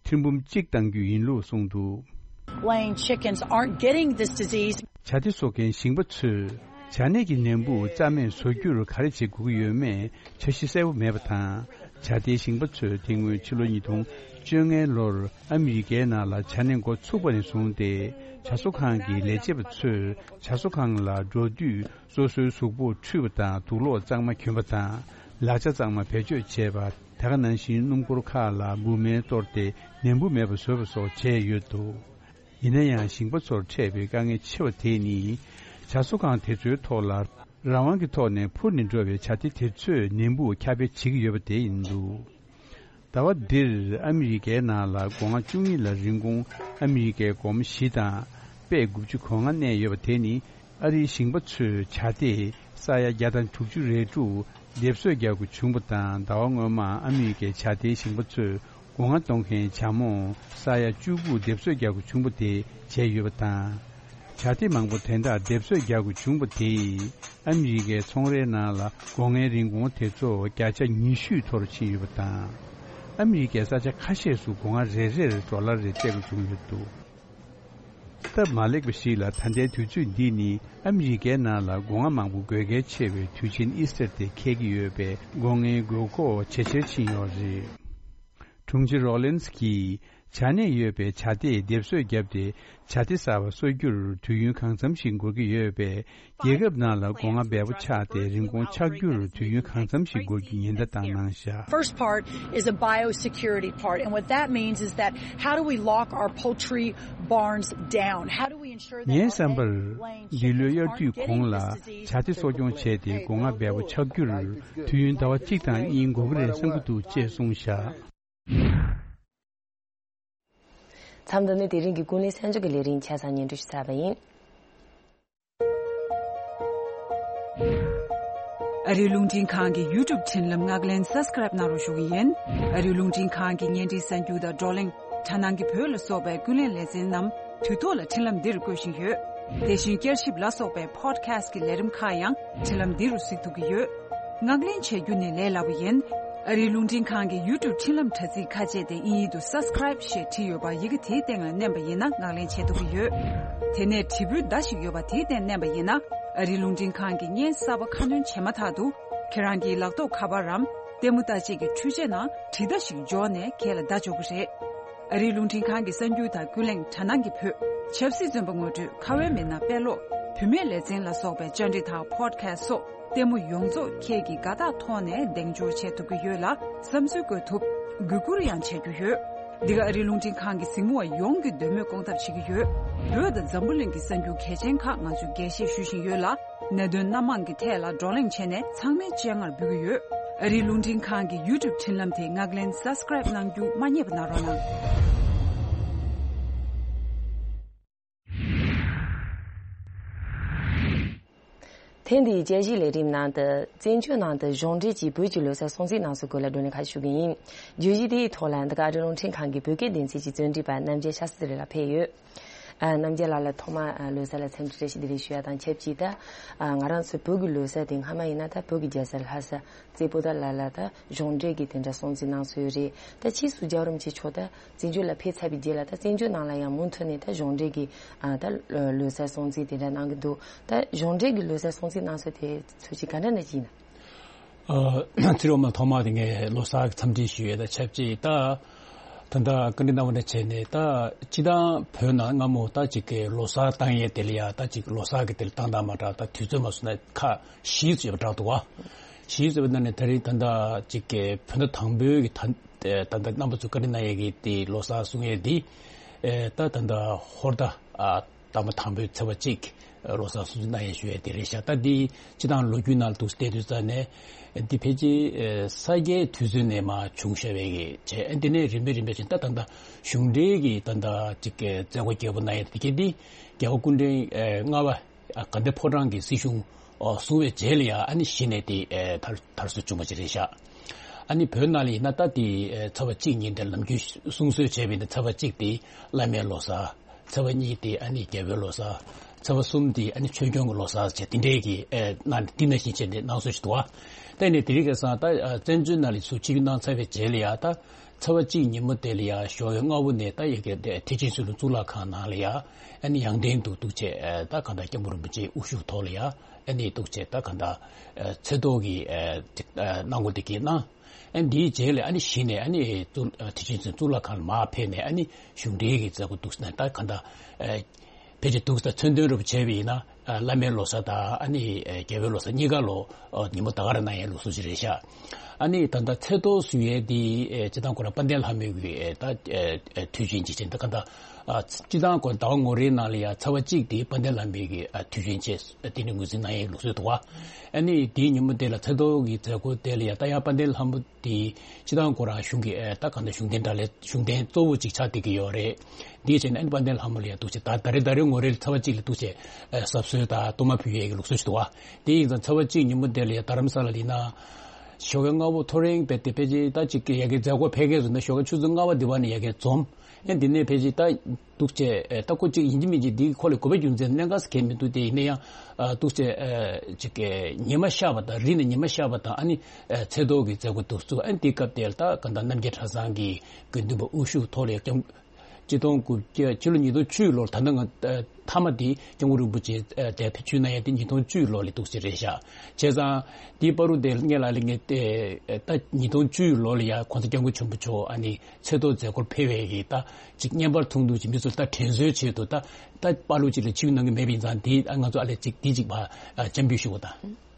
ཐེར་འབུམ་གཅིག་གཏང་རྒྱུ་ཡིན་ལུགས་གསུངས་འདུག Laying chickens aren't getting this disease. ཇ་དེ་བཟོ་མཁན་ཞིང་པ་ཚོས་ཇ་ནད་ཀྱི་ནད་འབུ་རྩ་མེད་བཟོ་རྒྱུར་ག་རེ་བྱེད་དགོས་ཀྱི་ཡོད་མེད་འཆར་གཞི་གསལ་པོ་མེད་པ་དང་། ཇ་དེའི་ཞིང་པ་ཚོས་དེ་སྔོན་ཕྱི་ལོ་ཉིས་སྟོང་བཅོ་ལྔའི་ལོར་ཨ་མི་རི་ཀའི་ནང་ལ་ཇ་ནད་འགོ་ཚུགས་པ་ནས་བཟུང་སྟེ་ཇ་བཟོ་ཁང་གི་ལས་བྱེད་པ་ཚོས་ཇ་བཟོ་ཁང་ལ་འགྲོ་དུས། སོ་སོའི་གཟུགས་པོ་འཁྲུད་པ་དང་དུག་ལོག་གཙང་མ་གྱོན་པ་དང་ལག་ཆ་གཙང་མ་བེད་སྤྱོད་བྱས་པ། དེ་ག་ནང་བཞིན་སྣུམ་འཁོར་ཁག་ལ་འབུ་སྨན་གཏོར་ཏེ་ནད་འབུ་མེད་པ་བཟོས་པ་སོགས་བྱས་ཡོད་འདུག་ཡིན་ན་ཡང་ཞིང་པ་ཚོར་འཕྲད་པའི་དཀའ་ངལ་ཆེ་བ་དེ་ནི་ཇ་བཟོ་ཁང་དེ་ཚོའི་ཐོག་ལ་རང་དབང་གི་ཐོག་ནས་འཕུར་ནས་འགྲོ་བའི་ཇ་ཐེ་དེ་ཚོས་ནད་འབུ་ཁྱབ་སྤེལ་བྱེད་ཀྱི་ཡོད་པ་དེ་ཡིན་འདུག་ཟླ་བ་འདིར་ཨ་མི་རི་ཀའི་ནང་ལ་སྒོ་ང་བཅུ་གཉིས་ལ་རིན་གོང་ཨ་མི་རི་ཀའི་སྒོར་མོ་བཞི་དང་པད་དགུ་བཅུ་གོ་ལྔ་གནས་ཡོད་པ་དེ་ནི་ཨ་རིའི་ཞིང་པ་ཚོས་ཇ་དེ་ས་ཡ་བརྒྱ་དང་དྲུག་ཅུ་རེ་དྲུག་སྡེབ་གསོད་རྒྱག་དགོས་བྱུང་བ་དང་། ཟླ་བ་སྔོན་མ་ཨ་མི་རི་ཀའི་ཇ་དེའི་ཞིང་པ་ཚོས་སྒོ་ང་གཏོང་མཁན་ཇ་མོ་ས་ཡ་བཅུ་དགུ་སྡེབ་གསོད་རྒྱག་དགོས་བྱུང་བ་དེ་བྱས་ཡོད་པ་དང་། ཇ་དེ་མང་པོ་དེ་འདྲ་སྡེབ་གསོད་རྒྱག་དགོས་བྱུང་བ་དེས་ཨ་མི་རི་ཀའི་ཚོང་རའི་ནང་ལ་སྒོ་ངའི་རིན་གོང་དེ་ཚོ་བརྒྱ་ཆ་ཉི་ཤུ་མཐོ་རུ་ཕྱིན་ཡོད་པ་དང་། ཨ་མི་རི་ཀའི་ས་ཆ་ཁ་ཤས་སུ་སྒོ་ང་རེ་རེར་ཌོ་ལར་རེ་སྤྲད་དགོས་བྱུང་ཡོད་འདུག་སྟབས་མ་ལེགས་པ་ཞིག་ལ་ད་ལྟའི་དུས་ཚོད་འདི་ནི་ཨ་མི་རི་ཀའི་ནང་ལ་སྒོ་ང་མང་པོ་དགོས་གལ་ཆེ་བའི་དུས་ཆེན་ཨི་སི་ཊར་དེ་འཁེལ་གྱི་ཡོད་པས་སྒོ་ངའི་དགོས་མཁོ་ཇེ་ཆེར་ཕྱིན་ཡོད་རེད། དྲུང་ཆེ་རོ་ལིན་སི་གིས་ཇ་ནད་ཡོད་པའི་ཇ་དེ་སྡེབ་གསོད་བརྒྱབ་སྟེ་ཇ་དེ་གསར་པ་གསོ་རྒྱུར་དུས་ཡུན་གང་འཚམ་ཞིག་འགོར་གྱི་ཡོད་པས། རྒྱལ་ཁབ་ནང་ལ་སྒོ་ང་འབེལ་པོ་ཆགས་ཏེ་རིན་གོང་ཆག་རྒྱུར་དུས་ཡུན་གང་འཚམ་ཞིག་འགོར་རྒྱུའི་ཉེན་བརྡ་བཏང་གནང་བཞག First part is a biosecurity part, and what that means is that how do we lock our poultry barns down? How do we ensure that ངའི་བསམ་པར། འདི་ལོའི་དབྱར་དུས་གོང་ལ་ཇ་དེ་གསོ་སྐྱོང་བྱས་ཏེ་སྒོ་ང་འབེལ་པོ་ཆགས་རྒྱུར་དུས་ཡུན་ཟླ་བ་གཅིག་དང་གཉིས་འགོར་གྱི་རེད་བསམ་གྱི་འདུག་ཅེས་གསུངས་བཞག་མཚམས་འདི་ནས་དེ་རིང་གི་ཀུན་གླེང་གསར་འགྱུར་གྱི་ལས་རིམ་ཆ་ཚང་སྙན་སྒྲོན་ཞུ་ཚར་བ་ཡིན། ཨ་རིའི་རླུང་འཕྲིན་ཁང་གི་ཡུ་ཊུབ་འཕྲིན་ལམ་ངག་ལེན་སབ་སི་ཀ་རེབ་གནང་རོགས་ཞུ་གི་ཡིན། ཨ་རིའི་རླུང་འཕྲིན་ཁང་གི་བརྙན་འཕྲིན་གསར་འགྱུར་དང་བགྲོ་གླེང་། དྲ་སྣང་གི་བོད་ལ་སོགས་པའི་ཀུན་གླེང་ལེ་ཚན་རྣམས་དུས་ཐོག་ལ་འཕྲིན་ལམ་འདིར་བཀོད་བཞིན་ཡོད། དེ་བཞིན་བསྐྱར་ཞིབ་ལ་སོགས་པའི་པོ་ཌི་ཁ་སི་ཊི་གི་ལས་རིམ་ཁག་ཡང་འཕྲིན་ལམ་འདི་རུ་གཟིགས་ཐུབ་ཀྱི་ཡོད། ངག་ལེན་བྱ་རྒྱུ་ནི་ལས་སླ་པོ་ཡིན། ཨ་རིའི་རླུང་འཕྲིན་ཁང་གི་ཡུ་ཊུབ་འཕྲིན་ལམ་དྲ་ཚིགས་ཁ་ཕྱེ་སྟེ་དབྱིན་ཡིག་ཏུ་སབ་སི་ཀ་རེབ་ཞེས་བྲིས་ཡོད་པ་ཡི་གེ་དེའི་སྟེང་ལ་མནན་པ་ཡིན་ན་ངག་ལེན་བྱེད་ཐུབ་ཀྱི་ཡོད། དེ་ནས་དྲིལ་བུའི་མདའ་ཞིག་ཡོད་པ་དེའི་སྟེང་མནན་པ་ཡིན་ན་ཨ་རིའི་རླུང་འཕྲིན་ཁང་གི་བརྙན་གསར་པ་ཁ་སྣོན་བྱས་མ་ཐག་ཏུ་ཁྱེད་རང་གི་ལག་ཐོགས་ཁ་པར་རམ་ལྟད་མོ་ལྟ་བྱེད་ཀྱི་འཕྲུལ་ཆས་ནང་དྲིལ་བརྡ་ཞིག་འབྱོར་ནས་ཁྱེད་ལ་བརྡ་འབྱོར་གྱི་རེད། ཨ་རིའི་རླུང་འཕྲིན་ཁང་གི་གསར་འགྱུར་དང་ཀུན་གླེང་དྲ་སྣང་གི་བོད། ཆབ་སྲིད་བཙོན་པ་ངོ་སྤྲོད་ཁ་བའི་མི་སྣ་དཔེ་ཀློག་བུད་མེད་ལེ་ཚན་ལ་སོགས་པའི་བཅར་འདྲི་དང་པོ་ཌི་ཁ་སི་ཊི་སོགས་ལྟད་མོ་ཡོངས་རྫོགས་ཁྱེད་ཀྱིས་དགའ་རྟགས་ཐོག་ནས་གདེང་འཇོག་བྱེད་ཐུབ་ཀྱི་ཡོད་ལ་བསམ་ཚུལ་བཀོད་ཐུབ། གུས་བཀུར་ཡང་བྱེད་རྒྱུ་ཡོད། འདི་ག་ཨ་རིའི་རླུང་འཕྲིན་ཁང་གི་གཟིགས་མོ་བ་ཡོངས་ཀྱི་འདོད་མོས་སྐོང་ཐབས་བྱེད་ཀྱི་ཡོད། བོད་དང་འཛམ་བུ་གླིང་གི་གསར་འགྱུར་གལ་ཆེན་ཁག་ང་ཚོས་རྒྱས་བཤད་ཞུ་བཞིན་ཡོད་ལ། གནད་དོན་སྣ་མང་གི་ཐད་ལ་བགྲོ་གླེང་བྱས་ནས་ཚང་མའི་སྤྱན་སྔར་འབུལ་གྱི་ཡོད། ཨ་རིའི་རླུང་འཕྲིན་ཁང་གི་ཡུ་ཊུབ་འཕྲིན་ལམ་དེ་ངག་ལེན་སབ་སི་ཀ་རེབ་གནང་རྒྱུ་མ་བསྙེལ་བ་གནང་རོགས་གནང་། ཐེངས་འདིའི་དཔྱད་གཞིའི་ལས་རིམ་ནང་དུ་བཙན་བྱོལ་ནང་དུ་གཞུང་འབྲེལ་གྱིས་བོད་ཀྱི་ལོ་གསར་སྲུང་བརྩིའི་སྣང་ཚུལ་སྐོར་ལ་བགྲོ་གླེང་ཁག་ཞུ་གི་ཡིན། བརྗོད་གཞི་དེའི་ཐོག་ལ་འདི་ག་ཨ་རིའི་རླུང་འཕྲིན་ཁང་གི་བོད་སྐད་སྡེ་ཚན་གྱི་རྩོམ་སྒྲིག་པ་རྣམ་རྒྱལ་ཤཱ་སྟྲི་ལགས་ཕེབས་ཡོད། ཨ། རྣམ་རྒྱལ་ལགས་ལ་ཐོག་མར་ཨ་ལོ་གསར་ལ་འཚམས་འདྲི་བཀྲ་ཤིས་བདེ་ལེགས་ཞུ་ཡ་དང་ཆབས་ཅིག་ད་ཨ་ང་རང་ཚོའི་བོད་ཀྱི་ལོ་གསར་དེ་སྔ་མ་ཡིན་ན་ད་བོད་ཀྱི་རྒྱལ་ས་ལྷ་ས་རྩེ་པོ་ཏ་ལ་ལ་ད་གཞུང་འབྲེལ་གྱི་དེ་འདྲ་སྲུང་བརྩི་གནང་སྲོལ་རེད། ད་ཕྱིས་སུ་རྒྱལ་བ་རིན་པོ་ཆེ་མཆོག་ད་བཙན་བྱོལ་ལ་ཕེབས་ཚར་བའི་རྗེས་ལ་ད་བཙན་བྱོལ་ནང་ལ་ཡང་མུ་མཐུད་ནས་ད་གཞུང་འབྲེལ་གྱི་ཨ་ད་ལོ་གསར་སྲུང་བརྩི་དེ་འདྲ་གནང་གི་འདུག་ད་གཞུང་འབྲེལ་གྱི་ལོ་གསར་སྲུང་བརྩི་གནང་སྲོལ་དེ་ཚོ་ཅིག་ག་འདྲ་འདྲ་ཅིག་ཡིན་ན། ཨ། ཚེ་རིང་མ་ཐོག་མ་དེ་ངས་ལོ་གསར་གྱི་འཚམས་འདྲི་ཞུ་ཡས་དང་ཆབས་ཅིག་ད། ད་ལྟ་བཀའ་འདྲི་གནང་བ་ནས་བྱས་ནས་ད་སྤྱི་བཏང་བོད་ནང་སྔ་མོ་ད་ཅིག་གི་ལོ་གསར་བཏང་ཡས་དེ་ལ་ཡ་ད་ཅིག་ལོ་གསར་གྱི་དེ་ལ་བཏང་སྟངས་མ་འདྲ་ད་དུས་ཚོད་མ་སོང་ན་ཁག་བཞི་ཙམ་ཡོད་པ་འདྲ་འདུག་བ། བཞི་ཙམ་ཡོད་པ་ནང་ནས་ད་རིང་ད་ལྟ་ཅིག་གི་བོད་ཟླ་དང་པོའི་གི་ད་ད་ལྟ་རྣམ་པ་ཚོ་བཀའ་འདྲི་གནང་ཡས་ཀྱི་དེ་ལོ་གསར་སྲུང་ཡས་དེ་ད་ད་ལྟ་ཧོར་ཟླ་ཨ། དང་པོ་དང་པོའི་ཚེས་པ་གཅིག་ལོ་གསར་སྲུང་བརྩི་གནང་ཡས་ཞུ་ཡས་དེ་རེད་ཤག་ད་འདི་སྤྱི་བཏང་ལོ་རྒྱུས་ནང་ལ་འདུག་བལྟས་དུས་ཙ་ནས་འདི་ཕལ་ཆེར་ས་སྐྱའི་དུས་ཚོད་ནས་མར་བྱུང་བཞག་པའི་གི་བྱས། འདི་ནས་རིམ་པས་རིམ་པས་བྱས་ད་ད་ད་གཞུང་འབྲེལ་གྱི་ད་ད་ཅིག་གི་མཛད་སྒོ་རྒྱས་པོ་གནང་ཡས་དེ་གི་འདི་རྒྱལ་བ་སྐུ་ཕྲེང་ལྔ་པ་དགའ་ལྡན་ཕོ་བྲང་གི་སྲིད་གཞུང་བཟུང་བའི་རྗེས་ལ་ཡང་ཨ་ནི་གཞི་ནས་དེ་དར་དར་སྲོལ་བྱུང་བ་ཅིག་རེད་ཤག་ཨ་ནི་བོད་ནང་ལ་ཡིན་ན་ད་དེ་ཚེས་པ་གཅིག་ཉིན་དེ་ལམ་རྒྱུན་སྲུང་སྲོལ་བྱས་པ་ཡིན་ན་ཚེས་པ་གཅིག་དེ་བླ་མའི་ལོ་གསར། ཚེས་པ་གཉིས་དེ་ཨ་ནི་རྒྱལ་པོའི་ལོ་གསར། ཚེས་པ་གསུམ་དེ་ཨ་ནི་ཆོས་སྐྱོང་གི་ལོ་གསར་བྱས་དེ་འདྲའི་གི་ཨེ་གནང་འདི་ནང་བཞིན་བྱས་ནས་གནང་སྲོལ་ཞིག་འདུག་བ། ད་ནི་དེ་རིང་ཁ་སང་ད་བཙན་བྱོལ་ནང་ལ་ཚུར་ཕྱིར་གནང་ཚར་བའི་རྗེས་ལ་ཡ་ད་ཚེས་པ་གཅིག་ཉིན་མོ་དེ་ལ་ཡ་ཞོགས་ཀའི་སྔ་པོ་ནས་ད་ཡ་གི་ཐེག་ཆེན་ཆོས་ལུགས་གཙུག་ལག་ཁང་ནང་ལ་ཡ་ཨ་ནི་ཡང་སྟེང་དུ་འདུག་བྱས་ད་གང་ལྟར་སྐྱབས་མགོན་རིན་པོ་ཆེའི་དབུ་བཞུགས་ཐོག་ལ་ཡ་ཨ་ནི་འདུག་བྱས་ད་གང་ལྟར་ཚེས་ཐོག་གི་གནང་སྒོ་དེ་གི་གནང་། ཨ་ནི་དེའི་རྗེས་ལ་ཨ་ནི་གཞི་ནས་ཨ་ནི་གཙུག་ཨ་ཐེག་ཆེན་གཙུག་ལག་ཁང་ལ་མར་ཕེབས་ནས་ཨ་ནི་གཞུང་འབྲེལ་གྱི་མཛད་སྒོ་འདུག་ཟེར་ན་ད་གང་ལྟར་ཨ་ཕལ་ཆེར་འདུག་ཟེར་མཚོན་དོན་རུ་བྱས་པ་ཡིན་ན་ཨ་བླ་མའི་ལོ་གསར་དང་ཨ་ནི་ཨ་རྒྱལ་བའི་ལོ་གསར་གཉིས་ཀ་ལོ་ཨ་ཉིན་མོ་ད་ག་རང་གནང་ཡས་ལུགས་སྲོལ་ཅིག་རེད་ཤག་ཨ་ནི་ད་ལྟ་ཚེས་ཐོག་བཟོ་ཡས་འདི་ཨ་སྤྱིར་བཏང་ཁོ་རང་དཔལ་ལྡན་ལྷ་མོའི་གི་ཨ་ད་ཨ་ཨ་དུས་ཆེན་ཅིག་བྱས་ད་གང་ལྟར་ཨ་སྤྱིར་བཏང་ཁོ་ཟླ་བ་ངོ་རེའི་ནང་ལ་ཡ་ཚེས་པ་གཅིག་དེ་དཔལ་ལྡན་ལྷ་མོའི་གི་ཨ་དུས་ཆེན་བྱས་དེ་ནི་ངོས་འཛིན་གནང་ཡས་ལུགས་སྲོལ་འདུག་བ། ཨ་ནི་དེའི་ཉིན་མོ་དེ་ལ་ཚེས་ཐོག་གི་མཛད་སྒོ་དེ་ལ་ཡ་ད་ཡང་དཔལ་ལྡན་ལྷ་མོ་དེ་སྤྱིར་བཏང་ཁོ་རང་གཞུང་གི་ཨེ་ད་གང་ལྟར་གཞུང་རྟེན་དགྲ་ལས་གཞུང་རྟེན་གཙོ་བོ་ཅིག་ཆགས་བསྡད་ཀྱི་ཡོད་རེད། འདིའི་ཆེད་ནས་ཨ་ནི་དཔལ་ལྡན་ལྷ་མོ་ལ་ཡ་འདུག་བྱས་ད་ད་རེས་ད་རེས་ངོ་རེ་ལ་ཚེས་པ་གཅིག་ལ་འདུག་བྱས་ཨེ་གཟབ་གསོལ་དང་གཏོར་མ་ཕུལ་ཡས་ཀྱི་ལུགས་སྲོལ་ཞིག་འདུག་བ། དེ་ཡིན་ཙང་ཚེས་པ་གཅིག་ཉིན་མོ་དེ་ལ་ཡ་རྡ་རམ་ས་ལ་ལ་ཡིན་ན་ཞོགས་ཀའི་སྔ་པོ་ཐོ་རེངས་བས་ཏེ་ཕལ་ཆེར་ད་ཅིག་གི་ཡ་གི་མཛད་སྒོ་ཕལ་སྐད་བཟོ་ན་ཞོགས་ཀའི་ཆུ་ཚོད་ལྔ་པ་དེ་བ་ནས་ཡ་གི་འཛོམས། ཨེ་འདི་ནས་ཕལ་ཆེར་ད་འདུག་བྱས་ཨེ་ད་ཁོ་གཅིག་ཡིན་གཅིག་མིན་གཅིག་འདི་ཁོ་ལ་དགོས་པའི་རྒྱུ་མཚན་གནད་འགག་གལ་མི་འདུག་དེ་ཡིན་ན་ཡང་ཨ་འདུག་བྱས་ཨེ་ཅིག་གི་ཉི་མ་ཤར་བ་དང་རི་ནས་ཉི་མ་ཤར་བ་དང་ཨ་ནི་ཨེ་ཚེས་ཐོག་གི་མཛད་སྒོ་འདུག་ཚུགས། ཨ་ནི་དེ་སྐབས་དེར་ད་ག་ད་རྣམ་རྒྱལ་གྲྭ་ཚང་གི་དགེ་འདུན་པ་དབུ་བཞུགས་ཐོག་ལ་སྐྱབས་ཆིག་སྟོང་དགུ་བརྒྱ་ཕྱི་ལོ་ཉིས་སྟོང་བཅུ་ལོར་ད་ལྟ་ང་ཨེ་མཐའ་མ་དེ་སྐྱབས་མགོན་རིན་པོ་ཆེ་ཨེ་དེ་ཕེབས་བསུ་གནང་ཡ་དེ་ཉིས་སྟོང་བཅུ་ལོ་ལ་འདུག་ཟེར་རེད་ཤག་བྱས་ཙང་དེའི་བར་དུ་དེ་ལ་ངས་ལ་ལས་ངས་ཨེ་ད་ཉིས་སྟོང་བཅུ་ལོ་ལ་ཡ་༸གོང་ས་༸སྐྱབས་མགོན་ཆེན་པོ་མཆོག་ཨ་ནི་ཚེས་ཐོག་མཛད་སྒོར་ཕེབས་པའི་གི་ད་ཅིག་བརྙན་པར་མཐོང་དུས་ཀྱི་མི་ཚོ་ད་དྲན་གསོའི་ཆེད་དུ་ད་ད་པར་ལུགས་ཅིག་ལ་ཕྱིར་གནང་གི་མེད་པ་ཡིན་ཙང་དེ་ང་ཚོ་ཨ་ལས་ཅིག་དེ་ཅིག་ཕར་ཨ་འཆམ་འབུལ་ཞུ་བ་དང་།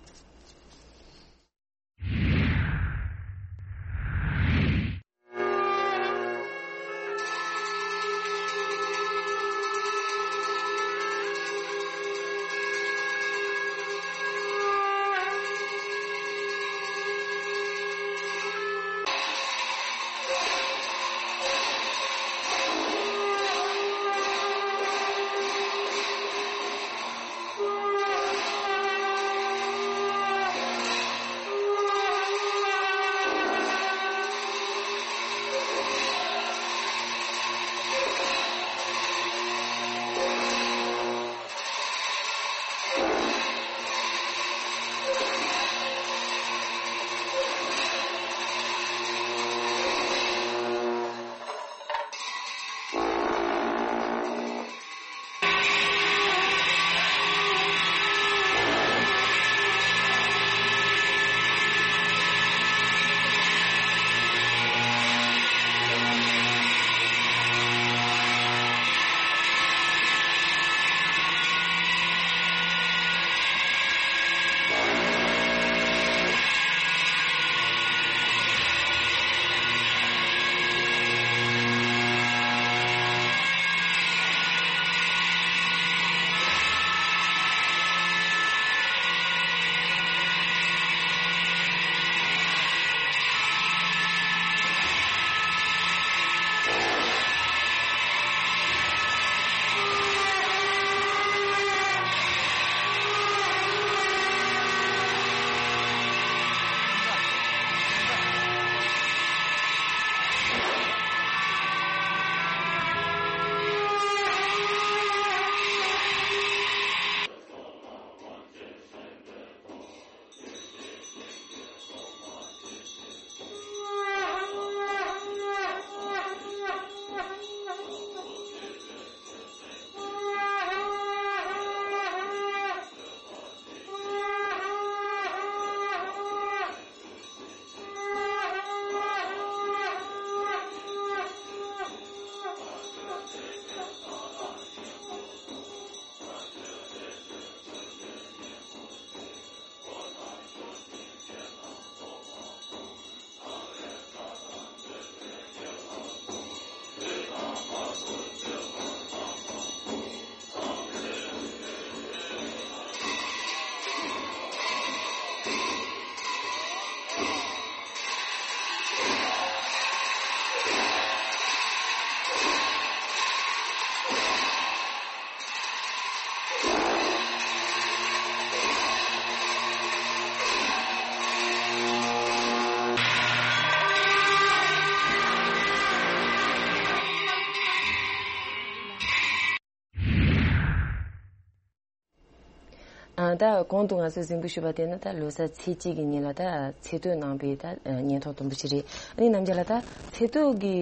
ད་གོང་དུ་ང་ཚོས་གཟིགས་འབུལ་ཞུས་པ་དེ་ནི་ད་ལོ་གསར་ཚེས་གཅིག་གི་ཉིན་ལ་ད་ཚེས་བསྟོད་གནང་པའི་ད་སྙན་ཐོ་དུམ་བུ་ཞིག་རེད། ཨ་ནི་རྣམ་རྒྱལ་ལགས། ད་ཚེས་བསྟོད་ཀྱི་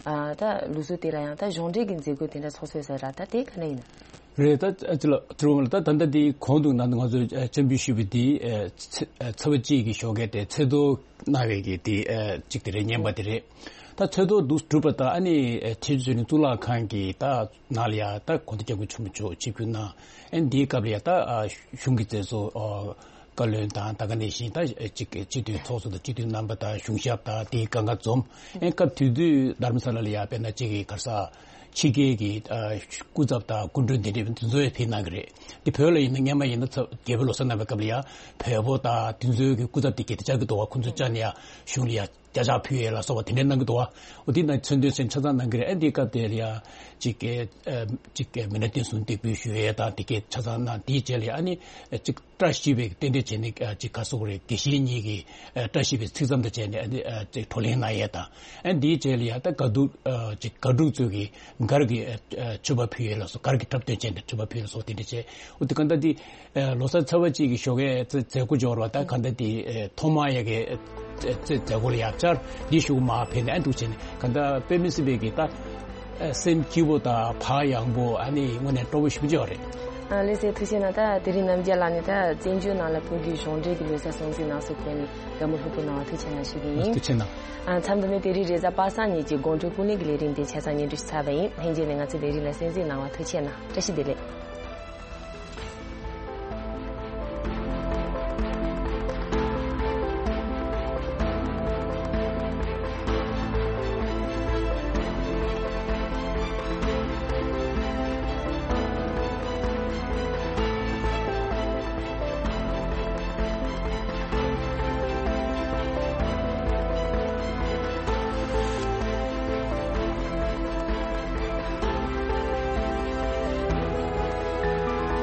ཨ་ད་ལུགས་སྲོལ་དེ་ལ་ཡང་ད་གཞུང་འབྲེལ་གྱི་མཛད་སྒོ་དེ་འདྲ་ཚོགས་སྲོལ་ཟེར་ར། ད་དེ་ག་འདྲ་ཡིན་ན། རེད། ད་ཨ་ཅི་ལ་ཐུ་རུ་ལ་ད་ད་ལྟ་དེ་གོང་དུ་ང་ང་ཚོས་སྤྱན་འབུལ་ཞུས་པའི་དེ་ཚེས་པ་གཅིག་གི་ཞོགས་ཀས་དེ་ཚེས་བསྟོད་གནང་བའི་གི་དེ་གཅིག་དེ་རེད། བརྙན་པ་དེ་རེད། ད་ཚེས་བསྟོད་འདུག་གྲུབ་པ་ད་ཨ་ནི་ཆེས་མཇུག་ནས་གཙུག་ལག་ཁང་གི་ད་ནང་ལ་ཡ་ད་གོང་ས་སྐྱབས་མགོན་ཆེན་པོ་མཆོག་ཆིབས་བསྒྱུར་གནང་། ཨ་ནི་དེའི་སྐབས་ལ་ཡ་ད་གཞུང་གི་མཛད་གཙོ་བཀའ་བློན་དང་ད་ག་ནང་བཞིན་ད་ཅིག་སྤྱི་འཐུས་ཚོགས་གཙོ་དང་སྤྱི་འཐུས་རྣམ་པ་དང་གཞུང་ཞབས་དང་དེའི་སྒང་ག་འཛོམས། ཨ་ནི་སྐབས་དེ་དུས་རྡ་རམ་ས་ལ་ལ་ཡ་དཔེར་ན་ཅིག་གི་ག་རེ་ཟེར་ཕྱི་རྒྱལ་གྱི་སྐུ་ཚབ་དང་སྐུ་མགྲོན་དེ་འདྲ་དེ་ཚོ་ཡང་ཕེབས་གནང་གི་རེད། དེ་བོད་ལ་ཡིན་ན་སྔོན་མ་ཡིན་ན་ཚ་རྒྱལ་པོ་ལོ་གསར་གནང་བའི་སྐབས་ལ་ཡ་བལ་པོ་དང་དེ་ཚོའི་གི་སྐུ་ཚབ་དེ་གྱད་དེ་བཅར་གི་འདུག་བ། ཁོང་ཚོ་བཅར་ནས་ཡ་གཞུང་ལ་ཡ་བརྒྱ་ཕྱག་ཕུལ་ཡས་ལ་སོགས་པ་དེ་འདྲ་གནང་གི་འདུག་བ། འོ་དེ་ན་མཚན་དོན་ཚན་ཆ་ཚང་གནང་གི་རེད། ཨ་འདི་སྐབས་དེ་ལ་ཡ་ཅིག་གི་ཅིག་གི་མི་སྣ་བསྟེན་གསོལ་འདེགས་འབུལ་ཞུ་ཡས་དང་དེ་གྱད་ཆ་ཚང་གནང་། དེའི་རྗེས་ལ་ཡ་ཨ་ནི་ཅིག་བཀྲ་ཤིས་པའི་རྟེན་འབྲེལ་བྱས་ནས་ཅིག་ག་རེ་ཟེར་དགོས་རེད། དགེ་བཤེས་གཉིས་ཀྱིས་བཀྲ་ཤིས་པའི་ཚིག་ཙམ་དང་བཅས་ནས་ཅིག་བགྲོ་གླེང་གནང་ཡས་དང་། ཨ་འདིའི་རྗེས་ལ་ཡ་ད་གར་སྡུག་ཅིག་གར་སྡུག་ཚོས་ཀྱི་གར་གྱི་མཆོད་པ་ཕུལ་ཡས་ལ་སོགས། གར་གྱི་འཁྲབ་སྟོན་བྱས་ནས་མཆོད་པ་ཕུལ་ཡས་ལ་སོགས་དེ་འདྲ་བྱས། འོ་དེ་ག་འདྲ་དེ་ལོ་གསར་ཚེས་པ་གཅིག་གི་ཞོགས་ཀས་མཛད་སྒོ་འབྱོར་བ་ད་ག་འདྲ་དེ་ཐོག་མ་ཡ་གི་མཛད་སྒོ་ལ་ཡ་བཅར་འདི་ཞུ་མ་ཕེབས་ནས་ཨ་འདུག་བྱས་ནས་ག་འདྲ་དཔེ་མི་སྲིད་པའི་གི་ད། ཨ་སེམས་སྐྱིད་པོ་དང་བག་ཡངས་པོ། ཨ་ནི་དངོས་གནས་སྤྲོ་པོ་ཞེ་པོ་ཅིག་ཡོད་རེད། ཨ་ལགས་སོ། ཐུགས་རྗེ་གནང་། ད་དེ་རིང་རྣམ་རྒྱལ་ལགས་ནས་ད་བཙན་བྱོལ་ནང་ལ་བོད་ཀྱི་གཞུང་འབྲེལ་གྱི་ལོ་གསར་སྲུང་བརྩི་གནང་སྲོལ་སྐོར་ནས་བཀའ་མོལ་ལྷུག་པོ་གནང་བ་ཐུགས་རྗེ་གནང་ཞུ་གི་ཡིན། ཐུགས་རྗེ་གནང་། ཨ་མཚམས་འདི་ནས་དེ་རིང་རེས་གཟའ་པ་སངས་ཉིན་གྱི་དགོང་དྲོའི་སྐུ་ལས་ཀྱི་ལས་རིམ་དེ་ཆ་ཚང་སྙན་སྒྲོན་ཞུས་ཚར་བ་ཡིན། ལྷན་རྒྱས་ནས་ང་ཚོའི་ལས་རིམ་ལ་གསན་གཟིགས་གནང་བ་ཐུགས་རྗེ་གནང་། བཀྲ་ཤིས་བདེ་ལེགས།